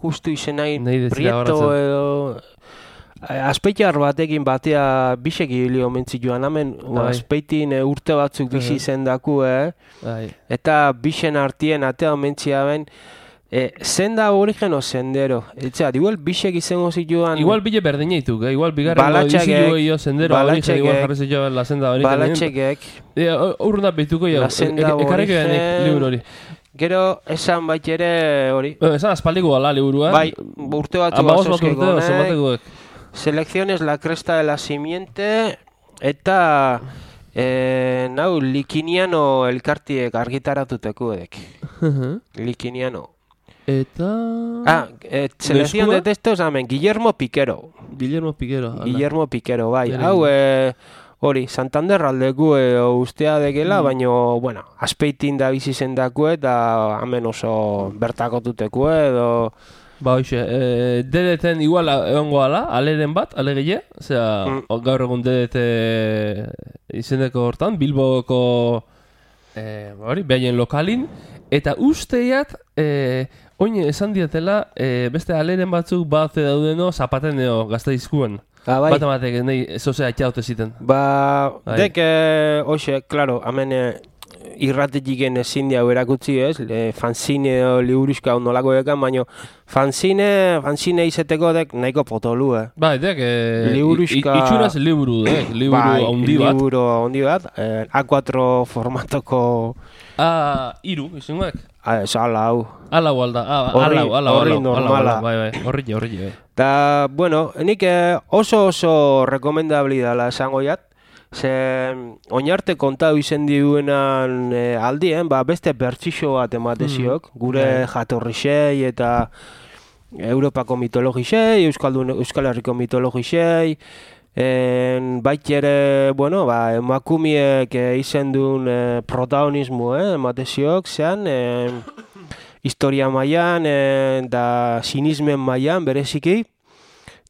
Justu izenai Prieto edo... Azpeitar batekin batea bisek hilio mentzi joan, hemen Azpeitin urte batzuk bizi zendaku, eta bisen artien atea mentzia ben, Senda Origen o Sendero. Etxeat, igual bisek izango zituan... Igual bile berdine dituk, igual bigarren dizilu jo Sendero Origen, igual jarri zituan la Senda Origen. Balatxekek. Urruna behituko jo, ekarriko janik liburu hori. Gero, esan bait ere hori. Esan aspaldiko gala liburua. Bai, urte batzu batzuzkeko, Selecciones la cresta de la simiente eta Likiniano elkartiek argitaratuteko edek. Likiniano. Eta... Selección de textos, Guillermo Piquero. Guillermo Piquero, bai. Hau, hori, Santander aldeku ustea dekela, baino, bueno, Azpeitin da bizi zendaku eta hemen oso bertakotuteko edo... Ba, hoxe, DDT-en igual egongo ala, aleren bat, alegile, gaur egun DDT izendeko hortan, Bilboko, behaien lokalin, eta usteiat, oin esan diatela, beste aleren batzuk bat daudeno zapateneo Gasteizkuen. Bat amatek, nahi, zozea atxaute ziten. Dek, hoxe, klaro, hemen... irratetik ezin diau erakutsi, ez? Fanzine liburuzka ondolako ekan, baina fanzine izeteko dek nahiko potolu, Bai, dek, itxuraz liburu, liburu handi bat. A4 formatoko... Iru, izangoek? Ez, ala hau. Ala hau alda, horri normala. Horri. Ta, bueno, nik oso rekomendabli dala esango jat. Ze oinarte kontau izen duenan aldien, beste bertsixo bat emateziok, gure jatorrixei eta Europako mitologixei, Euskal Herriko mitologixei, bait ere, bueno, emakumiek izen duen protagonismo emateziok, zean, historia mailan eta sinismen mailan bereziki,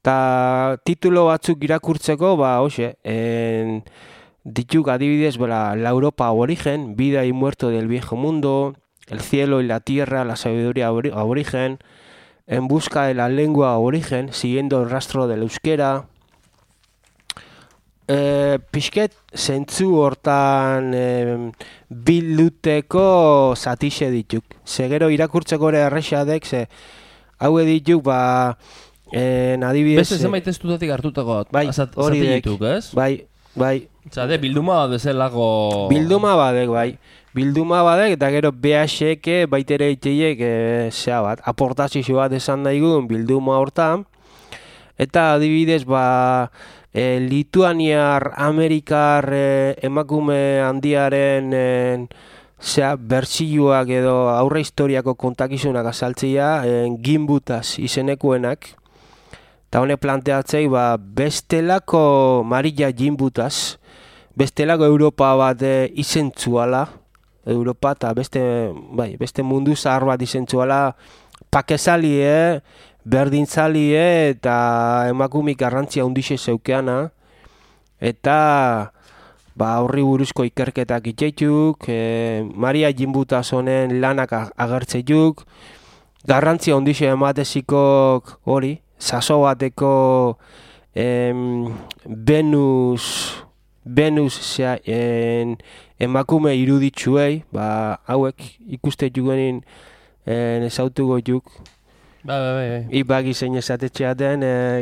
Ta titulo batzuk irakurtzeko, hoxe, dituk adibidez, la Europa aborigen, vida y muerto del viejo mundo, el cielo y la tierra, la sabiduría aborigen, en busca de la lengua aborigen, siguiendo el rastro del euskera. Pixket, zentzu hortan bilduteko zatixe dituk. Zegero irakurtzeko ere errexadek, haue dituk, adibidez... Beste zenbait testutatik hartutako hori dituk, ez? Bai. Zade, bilduma bezalako... Bilduma badek, bai. Bilduma badek, eta gero BH-eke baitere iteiek, aportazio bat esan daigun bilduma hortan. Eta adibidez, Lituaniar, Amerikar emakume handiaren bertsioak edo aurre historiako kontakizunak azaltzea, Gimbutaz izenekoenak. Eta honek planteatzei, bestelako Maria Gimbutaz, bestelako Europa bat izentzuala, Europa eta beste mundu zahar bat izentzuala, pakezalie, berdintzalie eta emakumik garrantzia hundixe zeukeana, eta horri buruzko ikerketak itxeituk, Maria Gimbutaz honen lanak agertzeituk, garrantzia hundixe ematezikok hori, saso bateko Venus emakume iruditzuei, hauek ikuste jugenin ezautu goituk. Bai. Ibagi zein esatetxea den,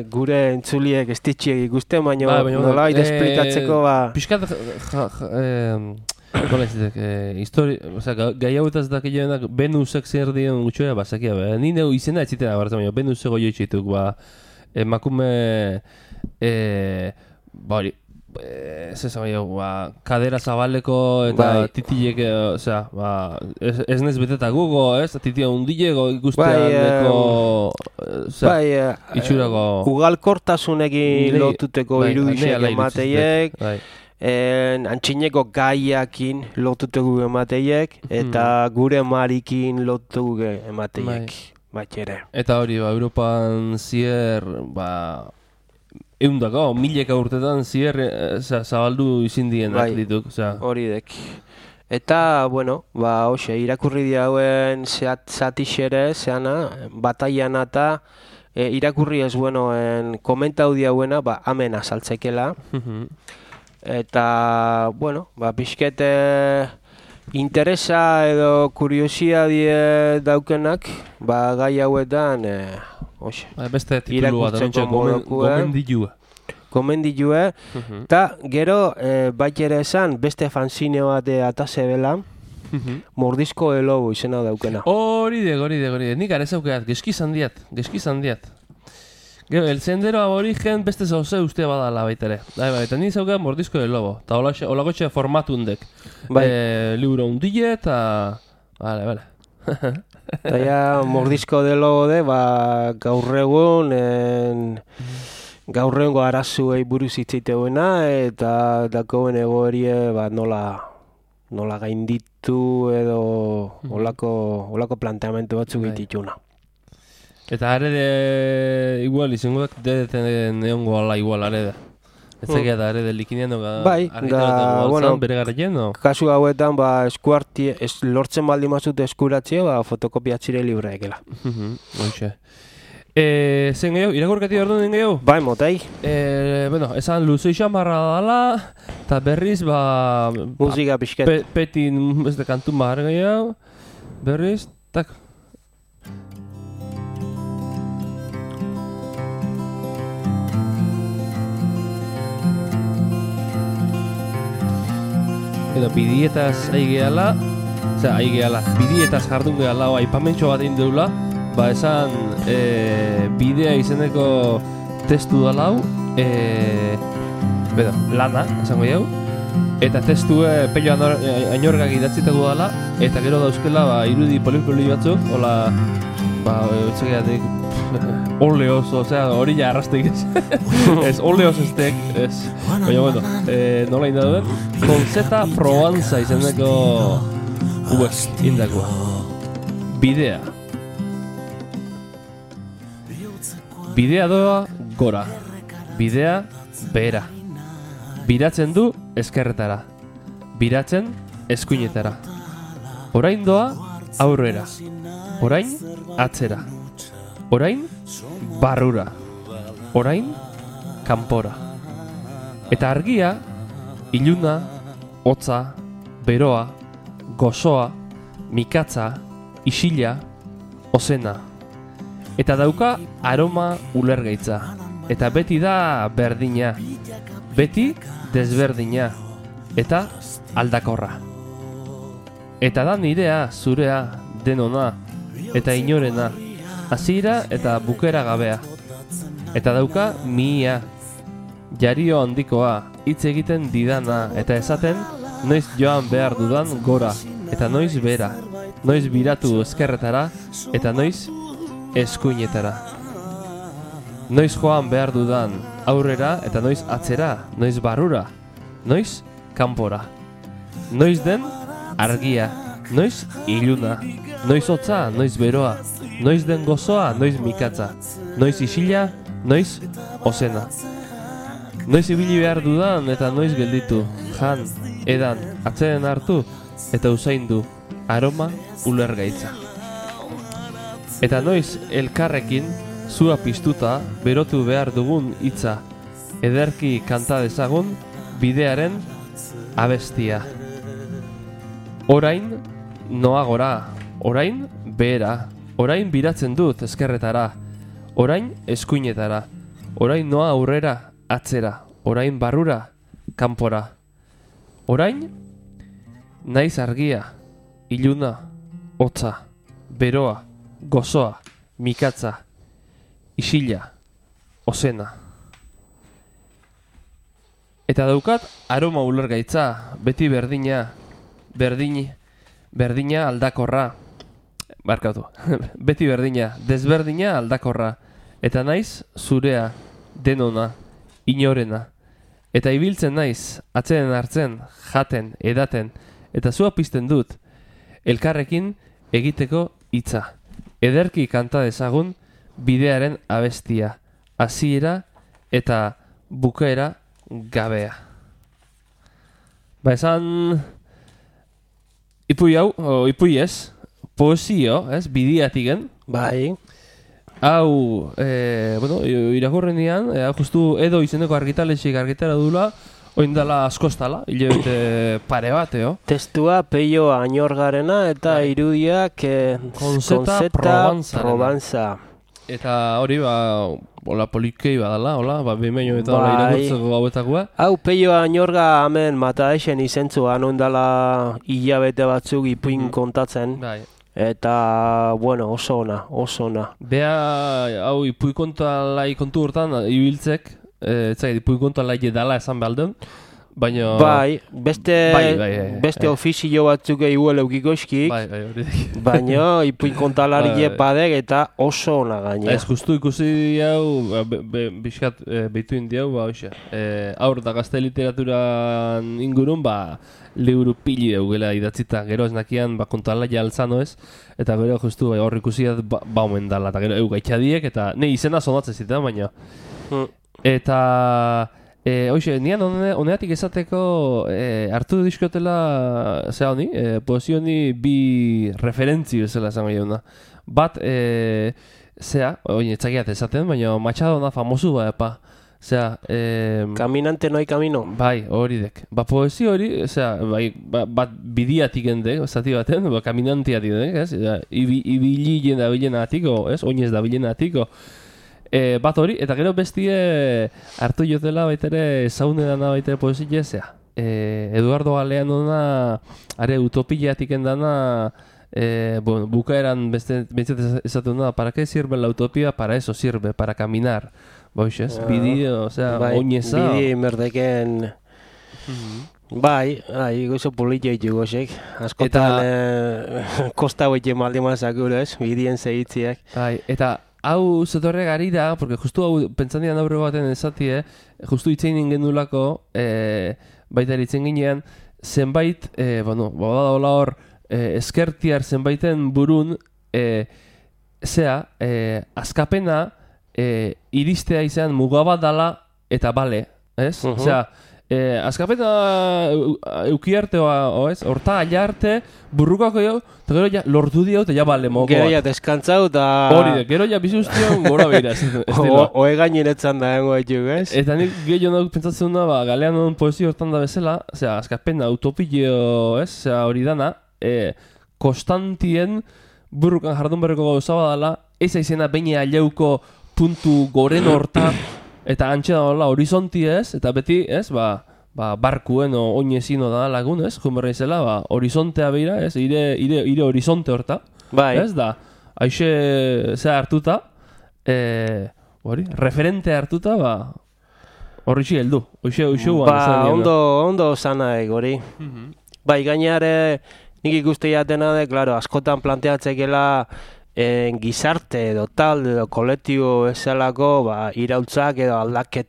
gure entzuliek estitxiek ikusten, baina nola esplikatzeko Piskat, nola izatek, gai hauetaz dakienak Venusek zer dion gutxoa, zakia, ni neu izena ez ziten abartzen, baina Venuseko joitxituk, emakume, hori, kadera zabaleko eta titilek, ez nez beteta gugo, titia hundileko ikustean itxurako... Ugalkortasunekin lotuteko irudixek emateiek, antxineko gaiakin lotuteko emateiek, eta gure marikin lotuteko emateiek, ere. Eta hori, Europan zier, eundako, mileka urtetan zier zabaldu izin dienak dituk. Hori dek. Eta, hoxe, irakurri diauen zatixere, zeana, bataiana eta irakurri ez komentau diauena, amen azaltzekela. Eta, pixkete interesa edo kuriosia die daukenak, gai hauetan, beste titulu bat, gomendilue, eta gero ere esan beste fanzine bat atase bela, Mordizko de Lobo izena daukena. Hori de, nik arez aukeat, geskizan diat. Gero, el sendero aborigen beste zauze uste badala baitere. Eta nik zaukeat Mordizko de Lobo, eta holakotxe formatundek. Libro hundile eta... Vale. Eta Mordizko de Lobo de, gaur egun arazuei buruz hitzeiteuena, eta dakoen egoerie nola gainditu edo olako planteamentu batzuk egitituna. Eta arede, igual, izango deten egongo ala igual arede. Ez zekia da arede likinean bere garrien, no? Kasu hauetan, lortzen baldin mazut eskuratzea, fotokopiatzire libreekela. Hoxe. Zen gehiago, irakurkati behar duen gehiago? Bai, motei. Esan luzo isamarra dala, eta berriz, musika pixket. Petin, ez de kantun bahar gehiago, berriz, tak. Edo bidietaz bidietaz jardun gehala, aipamentxo bat indeula, esan bidea izeneko testu dalau, lana, esango jau, eta testue pello ainorgak idatzitako dala, eta gero dauzkela irudi poli batzuk, hola, etxegeatik, oleoz, hori ja arrastek ez. Ez, oleoz estek, ez. Baina, nola inda duen, Konzeta Provenza izeneko indakoa. Bidea. Bidea doa gora, bidea behera. Biratzen du ezkerretara, biratzen eskuinetara. Orain doa aurrera, orain atzera, orain barrura, orain kanpora. Eta argia, iluna, hotza, beroa, gozoa, mikatza, isila, ozena. Eta dauka aroma ulergaitza. Eta beti da berdina. Beti desberdina. Eta aldakorra. Eta da nirea, zurea, denona. Eta inorena. Hasiera eta bukera gabea. Eta dauka mihia. Jario handikoa, hitz egiten didana. Eta esaten, noiz joan behar dudan gora. Eta noiz bera. Noiz biratu ezkerretara. Eta noiz eskuinetara. Noiz joan behar dudan aurrera eta noiz atzera, noiz barrura, noiz kanpora. Noiz den argia, noiz iluna, noiz hotza, noiz beroa, noiz den gozoa, noiz mikatza, noiz isila, noiz ozena. Noiz ibili behar dudan eta noiz gelditu, jan, edan, atzeren hartu eta usaindu, aroma ulergaitza. Eta noiz elkarrekin, zua piztuta, berotu behar dugun hitza, ederki kanta dezagun, bidearen abestia. Orain noa gora, orain behera, orain biratzen dut ezkerretara, orain eskuinetara, orain noa aurrera, atzera, orain barrura, kanpora. Orain naiz argia, iluna, hotza, beroa, gozoa, mikatza, isila, ozena. Eta daukat aroma ulergaitza, beti berdina, berdina aldakorra. Barkatu, beti berdina, desberdina aldakorra. Eta naiz zurea, denona, inorena. Eta ibiltzen naiz, atzeren hartzen, jaten, edaten, eta zua pizten dut, elkarrekin egiteko hitza. Ederki kanta dezagun bidearen abestia, hasiera eta bukaera gabea. Ba esan, ipui hau, ipui ez, poesio, ez, bidiatigen. Bai. Hau, bueno, irakurrenean, justu edo izeneko argitaletxik argitara dula, oindala askostala, hilabete pare bat, Testua Peio Añorgarena eta irudiak Konseta Provanza. Eta hori, hola polikei badala, hola, behin eta hola irakurtzeko gauetakoa. Hau Peio Añorga hemen mataesen izentzuan oindala hilabete batzuk ipuin kontatzen. Bai. Eta, bueno, oso ona. Bea, hau ipui kontalai kontu hortan, ibiltzek, ipui kontalai dala esan behaldun, baina... Bai, beste ofizio batzuk eguel eukikoskik, baina ipui kontalarie padek eta oso ona gaina. Ez, justu ikusi hau, bizkat behitu indiau, hoxe, aur da gazte literaturan ingurun, liburu pili eugela idatzita, gero ez nakian kontalaia altzano ez, eta gero justu hor ikusiat omen dala, eta gero gaitxadiek, eta ne izena sonatzen zitan, baina. Eta, hoxe, nian honeatik esateko hartu diskotela, zera honi, poesio honi bi referentzi bezala esan gaiuna. Bat, zera, oin etzakiat esaten, baina Machadona famosu epa. Osea, Caminante no hay camino. Bai, hori dek. Poesio hori, osea, bat bidiatik gendek, zati baten, kaminantiatik dek, ez? Ibili jenda bilena atiko, ez? Oinez da bilena atiko. Bat hori, eta gero bestie hartu jotela baitere zaune dana baitere poesia, zea. Eduardo Galeanona, are utopiatik endana, bueno, bukaeran beste esatu da, ¿para qué sirve la utopía? Para eso sirve, para caminar. Boixez, bidi, osea, oineza. Bidi merdeken... Bai, gozo politia ditu gozek. Askotan kosta hoite maldi mazak gure, ez? Bidien zehitziak. Bai, eta hau zetorre gari da, porque justu hau pentsanian aurre baten esatie, justu itzein genulako, baita eritzen ginean, zenbait, bueno, bada hola hor, eskertiar zenbaiten burun, azkapena, iristea izan mugabat dala eta bale, ez? Osea, azkapeta eukiarteoa, ez? Horta aia arte, burrukako jo, eta gero ja lortu dio, eta ja bale moko bat. Gero ja deskantzau, eta... Hori, gero ja bizuztio gora behira. Oe gaineretzan da hengo etuk, ez? Eta nik gehiago pentsatzen da, galean non poesio hortan da bezala, osea, azkapena utopio, ez? Osea, hori dana, konstantien burrukan jardun berreko gauza badala, ez aizena baina aleuko puntu goren horta, eta antxea da horizonti ez, eta beti, ez, barkuen oinezino da lagun, ez, junberra izela, horizontea beira, ez, ire horizonte horta, bai. Ez da, haixe zea hartuta, referente hartuta, horritxi heldu, hoxe ondo zana hori. Bai, gainare, nik ikuste jatena de, claro, askotan planteatzekela, gizarte edo tal edo kolektibo esalako iraultzak edo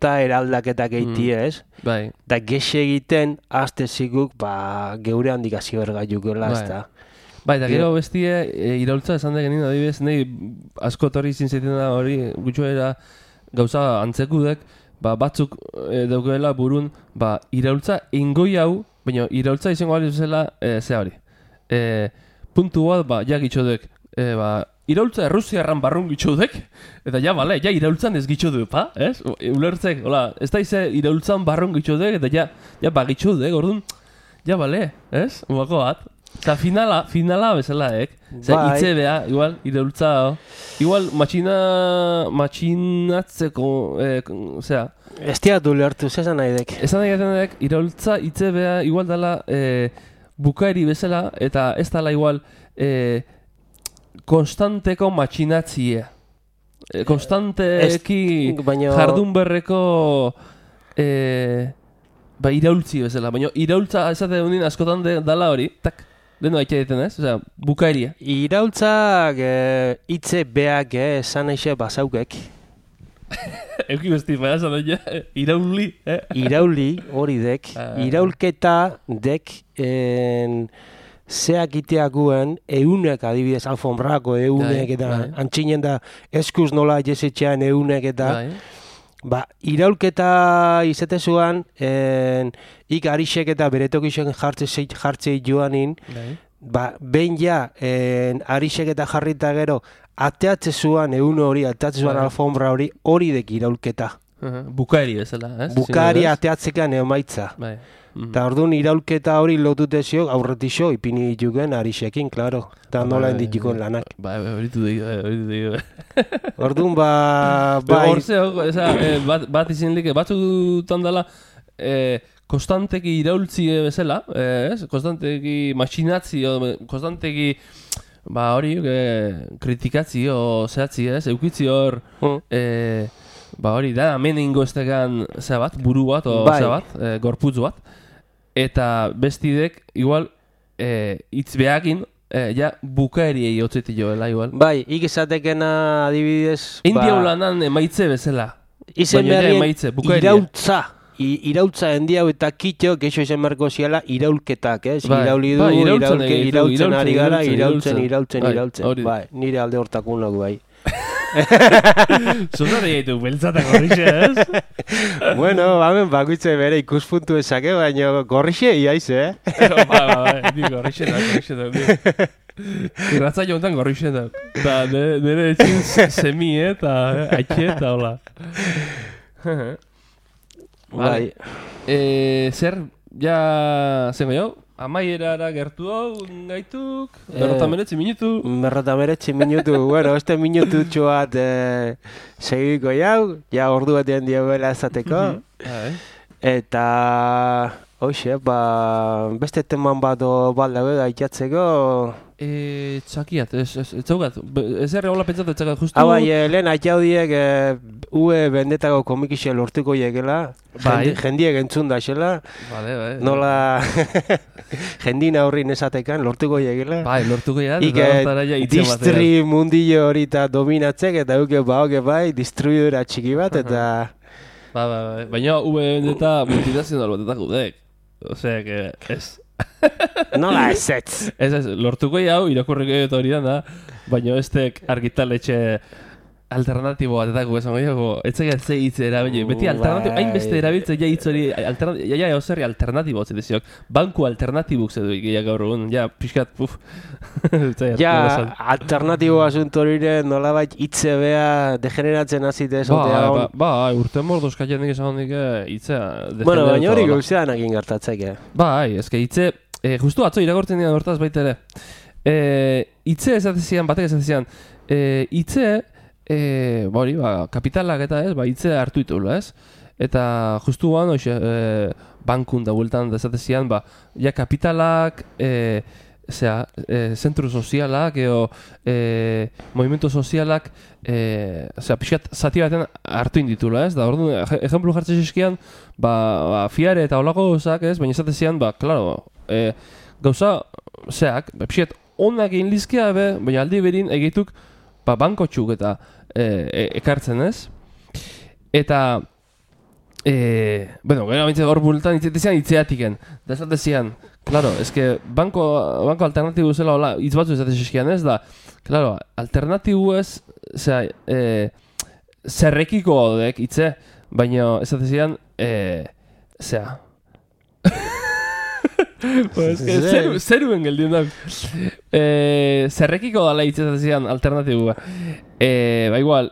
eraldaketak eiti ez. Bai. Da gexe egiten azte ziguk geure handik hasi bergaiukela ez da. Bai, eta gero bestie iraultza esan da genien adibidez, nahi asko torri zintzeten da hori gutxoera gauza antzekudek, batzuk daukela burun, iraultza ingoi hau, baina iraultza izango bali zela zea hori. Puntu bat, ja gitxodek, iraultza Errusiarran barrun gitxudek, eta ja, bale, ja iraultzan ez gitxudu, ez? Ulertzek, hola, ez da ize iraultzan barrun gitxudek, eta ja gitxudek, orduan, ja, bale, ez? Umako bat. Eta finala bezala, itze beha, igual, iraultza, igual, matxinatzeko, osea. Ez diatu ulertu, zesan nahi dek? Esan nahi dek, iraultza, itze beha, igual dela, bukaeri bezala, eta ez dela igual, konstanteko matxinatzie. Konstanteki jardun berreko iraultzi bezala. Baina iraultza esate duen askotan dala hori, tak, lehenu haitxe diten ez? Osea, bukaeria. Iraultzak itze beak esan eixe basaukek. Euki besti, esan daia, irauli. Irauli hori dek. Iraulketa dek zeak iteakuen eunek adibidez alfombrako eunek eta antxinen da eskuz nola jesetxean eunek eta iraulketa izatezuan ik arixek eta beretokixen jartzei joanin behin ja arixek eta jarrita gero ateatze zuan eun hori, ateatze zuan alfombra hori dek iraulketa. Bukaeri bezala, ez? Bukaeri ateatzekan emaitza. Eta orduan iraulketa hori lotutezio aurretixo ipini dituken arixekin, klaro. Eta nola enditikoen lanak. Horitu dugu. Orduan bat izin like, batzutan dela konstanteki iraultzi bezala, konstanteki matxinatzio, konstanteki hori kritikatzio zehatzi ez, eukitzi hor hori da, hemen ingo estegan bat, buru bat o bat, gorputz bat. Eta bestidek, igual, hitz behakin, bukaeriei hotzeti joela, igual. Bai, ikizatekena adibidez... India ulanan emaitze bezala. Izen berrien iraultza endiau eta kitxo, keixo izen berko ziala, iraulketak, ez? Irauli du, iraultzen ari gara, iraultzen. Bai, nire alde hortakunok, bai. Zuzari gaitu, beltzatak gorrixe, ez? Bueno, bakoitze bere ikuspuntu esake, baina gorrixe iaiz, Ni gorrixe da. Irratza jontan gorrixe da. Da, nire etxin semi, eta haitxe, eta hola. Bai. Zer, ja, zengo jo? Amaierara gertu hau gaituk, 59 minutu. 59 minutu, bueno, este minututxo bat segiko jau, ja ordu batean diogela ezateko. Eta, hoxe, beste teman bat baldago gaitzatzeko. Txakiat, ez zaugat, ez erre hola pentsatu txakat justu. Bai, lehen atxaudiek ue bendetako komikixe lortuko iekela, jendiek entzun da xela, nola jendina horri nesatekan lortuko iekela. Bai, lortuko iekela. Ike distri mundillo hori eta dominatzek eta uke bai, distribuidora txiki bat eta... Baina ue bendeta multinazional batetako dek, osea, que ez... Nola ez. Ez, lortuko hau, irakurriko eta hori da, baina estek argitaletxe alternatibo bat etako esan goiago, etzaiat ze hitz erabili, beti alternatibo, hainbeste erabiltzen ja hitz hori, ja oserri alternatibo hotze deziok, banku alternatibuk zedu ikia gaur egun, ja, pixkat, ja, alternatibo asunto horire nolabait hitze bea degeneratzen azite esotea. Urte mordoz kaienik esan hondik hitzea degeneratu. Bueno, baina hori gauzean egin gertatzeke. Eske hitze, justu atzo iragortzen dian hortaz baita ere, hitze esatezian, batek esatezian, hitze, kapitalak eta ez, hitze hartu itula, ez? Eta justu guan, bankun da bueltan desatezian, ja kapitalak, zentru sozialak, movimentu sozialak, pixkat zati baten hartu inditula, ez? Da, orduan, ejemplu jartzen eskian, fiare eta olako gauzak, ez? Baina esatezian, klaro, gauza, pixkat onak egin lizkea, baina aldi berin egituk, bankotxuk eta ekartzen, ez? Eta, gero amintzen hor bultan itzeatiken. Da esatezian, claro, eske banko alternatibu zela hola, hitz batzu esatezian, ez da, claro, alternatibu ez, zerrekiko gaudek hitze, baina esatezian, zeruen geldiun da. Zerrekiko dala hitzetan alternatibua. Igual,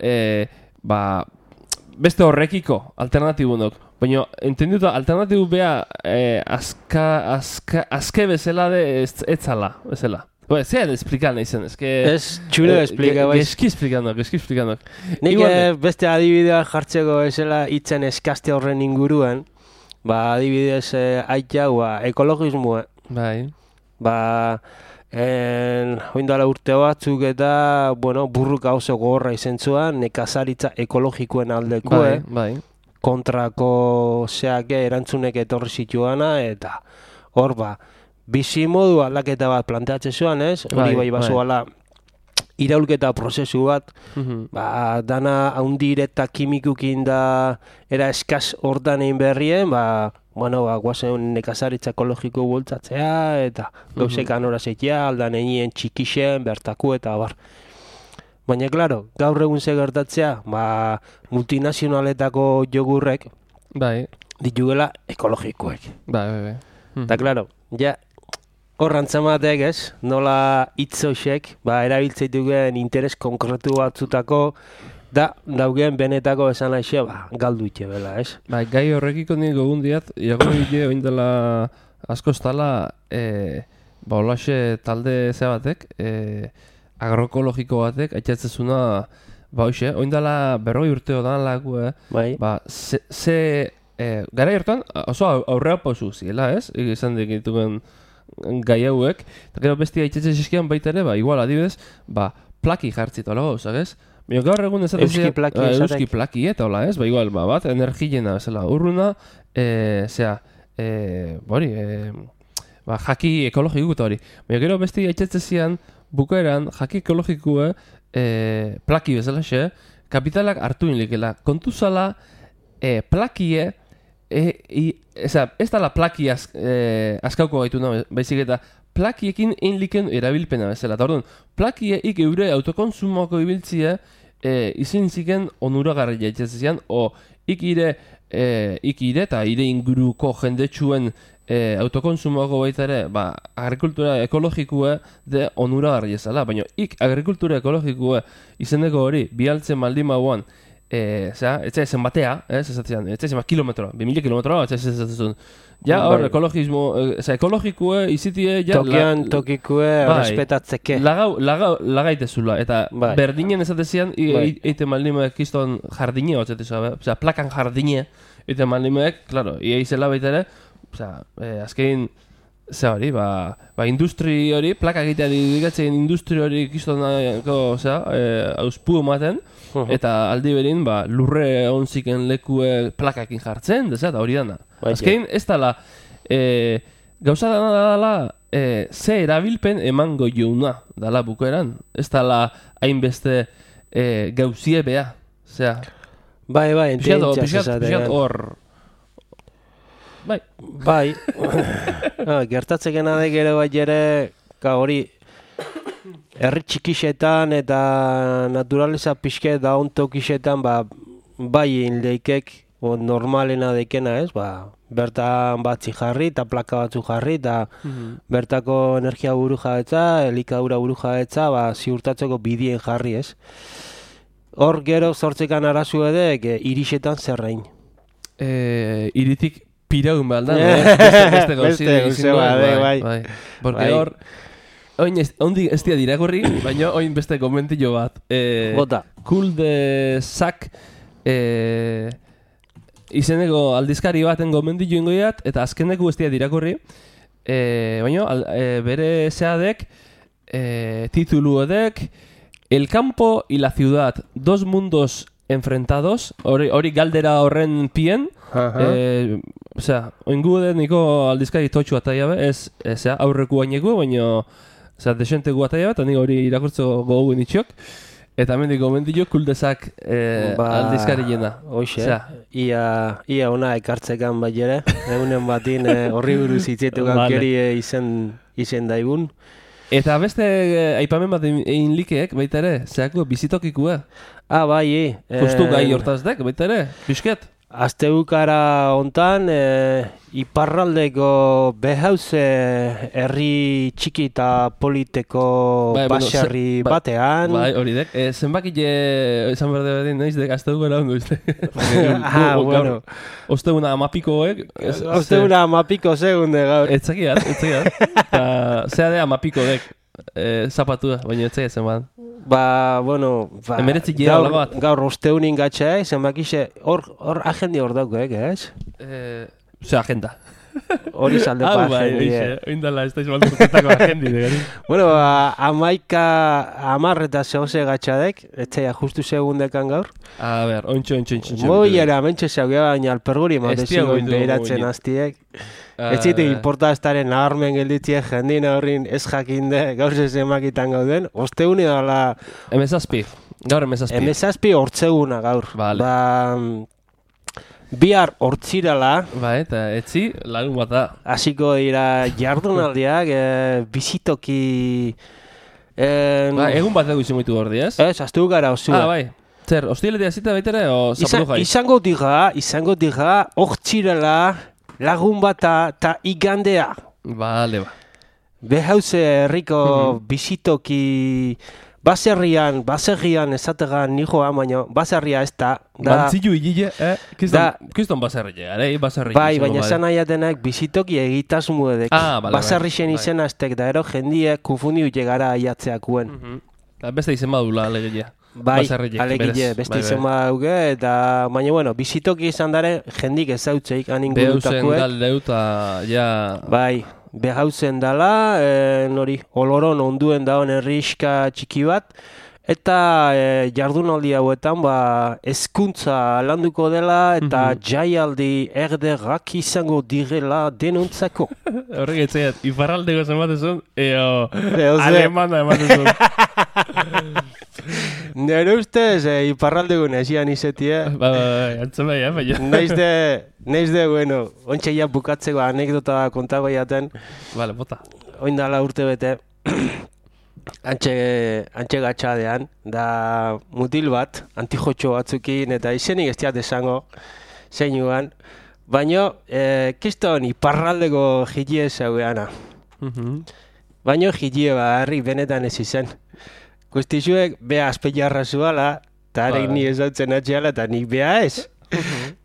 beste horrekiko alternatibunok. Baina, entenduta, alternatibu beha azke bezala de etzala, bezala. Zean esplikan nahi zen, ez txune esplika, bai. Geski esplikandok. Nik beste adibidea jartzeko esela hitzen eskaste horren inguruan, adibidez, ekologismoa. Bai. Oindala urte batzuk eta, burruka oso gogorra izentzuan, nekazaritza ekologikoen aldekoe. Bai. Kontrako erantzunek etorri zituana, eta hor bizi modu aldaketa bat planteatzen zuen, ez? Hori bai bazuala iraulketa prozesu bat, dana haundir eta kimikukin da era eskaz hortan egin berrien, guazen nekazaritza ekologiko bultzatzea, eta gauzekan horazetia, aldan egin txikixen, bertaku eta bar. Baina, klaro, gaur egun ze gertatzea, multinazionaletako jogurrek ditugela ekologikoek. Bai. Eta, klaro, ja, horrantzamatek ez, nola hitzoxek, erabiltzeitugen interes konkretu batzutako, daugeen benetako esan aixe, galdu itxe bela, ez? Gai horrekiko nire gogun diat, irakurri dide oindela asko estala, holaxe talde batek, agroekologiko batek, aitzatzezuna, oindela 40 urteo dan lagu, gara hortan, oso aurrea pausu ziela, ez? Izan dikitugen gai hauek, eta gero bestia aitzatzez eskian baita ere, igual adibidez, plaki jartzit, hola gauzak, ez? Gaur egun ez euski plaki eta hola, ez? Igual, bat, energiena, bezala, urruna, jaki ekologiko eta hori. Gero bestia aitzatzez bukaeran, jaki ekologikue, plaki bezala xe, kapitalak hartu inlikela. Kontuzala, plakie, ez dala plaki askauko gaitu nahi, baizik eta plakiekin inliken erabilpena bezala. Eta orduan, plakiek eure autokonsumoko ibiltzia izin ziken onuragarri jaitzezian, ikire eta ire inguruko jendetsuen autokonsumoko baita ere, agrikultura ekologikue de onuragarri ezala, baina agrikultura ekologikue izendeko hori, bialtzen maldin bauan, etzen batea, etzen kilometro, 2000 kilometro, etzen ja, hor, ekologikue izitie, tokian tokikue respetatzeke. Lagaitezula, eta berdinen ezatezian, eite maldimeek kiston jardine, plakan jardine, eite maldimeek, klaro, izela baita ere, azkein, hori, industri hori, plaka egitea dikatzen industri hori kistonako, auspu ematen, eta aldi berin, lurre onziken lekue plakakin jartzen, eta hori dana. Azkein, ez dala, gauza dana, ze erabilpen emango jouna dala bukoeran. Ez dala hainbeste gauzie beha. Pixat hor. Gertatzeken adek ere hori herri txikixetan eta naturaleza pixke da ontokixetan, bai leikek, normalena dekena ez, bertan batzi jarri eta plaka batzu jarri eta bertako energia buru jabetza, elikadura buru jabetza, ziurtatzeko bidien jarri ez. Hor gero zortzekan arazu edek irixetan zerrein. Iritik piraun behar da, beste gauzi bai. Porque hor, oin ez dira dirakorri, baina oin beste komentillo bat. Bota. Kul de Sac izeneko aldizkari baten gomendilu ingoiat, eta azkeneko ez dira dirakorri, baina bere zeadek, titulu edek, El campo y la ciudad, dos mundos enfrentados, hori galdera horren pien, oingu edet niko aldizkari totxu ataia ez aurreku baineko, baina desenteko ataia eta niko hori irakurtzo gogu nitxok. Eta mendik gomendio kuldezak aldizkari jena. Hoxe, ia ona ekartzekan bai ere, egunen batin horri buruz hitzetu gaukeri izen daigun. Eta beste aipamen bat egin likeek, baita ere, zeako bizitokikua. Bai, justu gai hortazdek, baita ere, pixket. Asteukara hontan, iparraldeko behauze herri txiki eta politeko baserri batean. Bai, hori dek. Zenbakile izan berde bedin, noiz dek, asteukara ondo izte. Bueno. Osteuna amapikoek. Osteuna amapiko segunde gaur. Etzakiat. Eta zea de amapiko dek zapatua, baina etzakia zen bat. Gaur osteunin gatxa, zenbakixe, hor agendi hor dauk, ez? Ze agenda. Hori zaldeko agendi. Oindala, ez da izan baldutetako agendi. Bueno, 10 eta zehose gatxadek, etxaia justu segundekan gaur. A ber, ontxo. Moiera, mentxe zaugea, baina alperguri matezioen behiratzen aztiek. Ez zite importa estaren nabarmen gelditziek jendin horrin ez jakinde gaur zezemakitan gauden. Osteune dala... Gaur emezazpi. Emezazpi hortzeguna gaur. Vale. Bihar hortzirala. Eta etzi lagun bat da. Hasiko dira jardunaldiak, bizitoki... Egun bat dugu izan goitu gordi, ez? Ez, aztu gara osua. Bai. Zer, hostiletea zita baitere o zapatu jai? Izango diga, hortzirala... Lagun bata eta igandea. Bale. Behauze herriko bizitoki baserrian ezategan nijoa, baina baserria ez da. Bantzilu hile, Kiston baserria, baserria. Bai, baina esan nahiatenak bizitoki egitasmu edek. Baserrixen izena estek da, ero jendiek konfundiu llegara aiatzeakuen. Beste izen badula, alegia. Bai, alegile, beste izen badauge, eta baina, bueno, bizitoki izan dare, jendik ezautzeik aningurutakuek. Behauzen galdeuta, ja... Bai, behauzen dala, nori, oloron onduen daun herriska txiki bat, eta jardunaldi hauetan, hezkuntza landuko dela, eta jaialdi erderrak izango direla denontzako. Horrek etzaiat, iparraldeko zenbatezun, alemana ematezun. Nere ustez, iparraldeko nesian izetie. Antzen bai, baina. Neiz de, bueno, ontsa ja bukatzeko anekdota kontago jaten. Vale, bota. Oindala urte bete, antxe gatxadean, da mutil bat, antijotxo batzukin, eta izenik ez diat esango, zeinuan. Baina, kiston iparraldeko jitie zaugeana. Baina jitie herri benetan ez izen. Guztizuek, beha azpeiarra zuala, eta arek ni ezautzen atxeala, eta nik beha ez.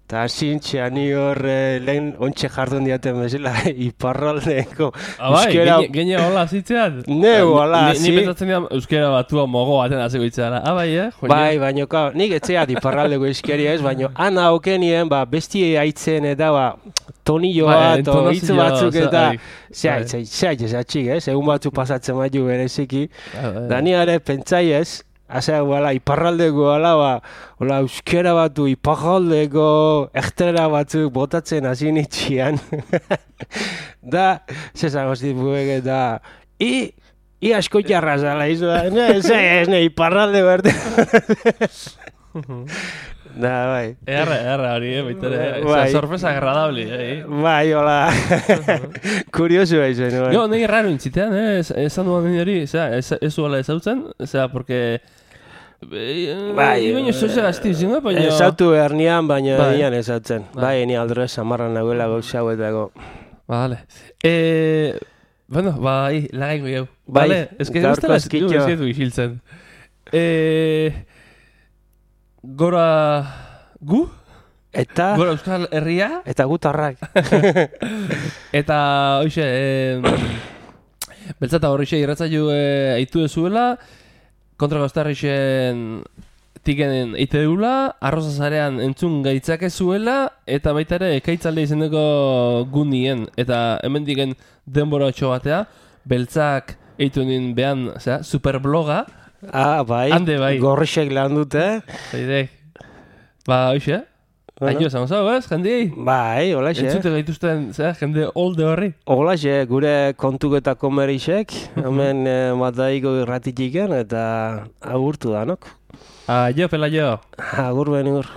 Eta zintxea ni hor lehen ontxe jardun diaten bezala, iparraldeko euskera... Gene hola zitzean? Hola, Ni pentsatzen dira euskera batua mogo baten azeko itzeara. Bai, Bai, baina nik etxeat iparraldeko euskeria ez, baina ana okenien, bestie haitzen eta tonilloa, hitz batzuk eta... Zea itxezatxik ez, egun batzuk pasatzen baitu bereziki. Da ni ere pentsai ez, Azea, iparraldeko euskera batu, iparraldeko ektera batzuk botatzen hasi nitxian. Da, zezan gozit buek eta... I asko jarra zala izu da, ez iparralde berde. Da, bai. Erra hori, baitere. Bai. Sorpresa agradable, Bai, hola. Kuriosu zen, bai. Jo, nahi raro intzitean, esan duan hori, ez duela ezautzen, porque... Bai, baina zoze gazti zingo, baina... Ezautu hernian, baina Bai. nian ezautzen. Bai, ni aldro samarran nagoela gauza hauetako. Vale. Bueno, bai, lagaingo jau. Bai, vale? Ez que gaurko eskitxo. ez du isiltzen. Gora... Gu? Eta... Gora Euskal Herria? Eta gutarrak. Eta, hoxe, beltzata horrexe irratzaiu eitu dezuela, kontra goztarrixen tikenen eite deula, arroza zarean entzun gaitzake zuela, eta baita ere ekaitzalde izeneko gunien. Eta hemen diken denbora otxo batea, beltzak eitu nien behan, superbloga. Bai, Hande bai. Gorrixek lan dute. Zaidek. Ba, hoxe, aio esan zau, ez, jendiei? Bai, holaxe. Entzute gaituzten, jende olde horri. Holaxe, gure kontuketako merixek, hemen mataiko irratitiken, eta agurtu danok. Aio, pelaio. Agur benur.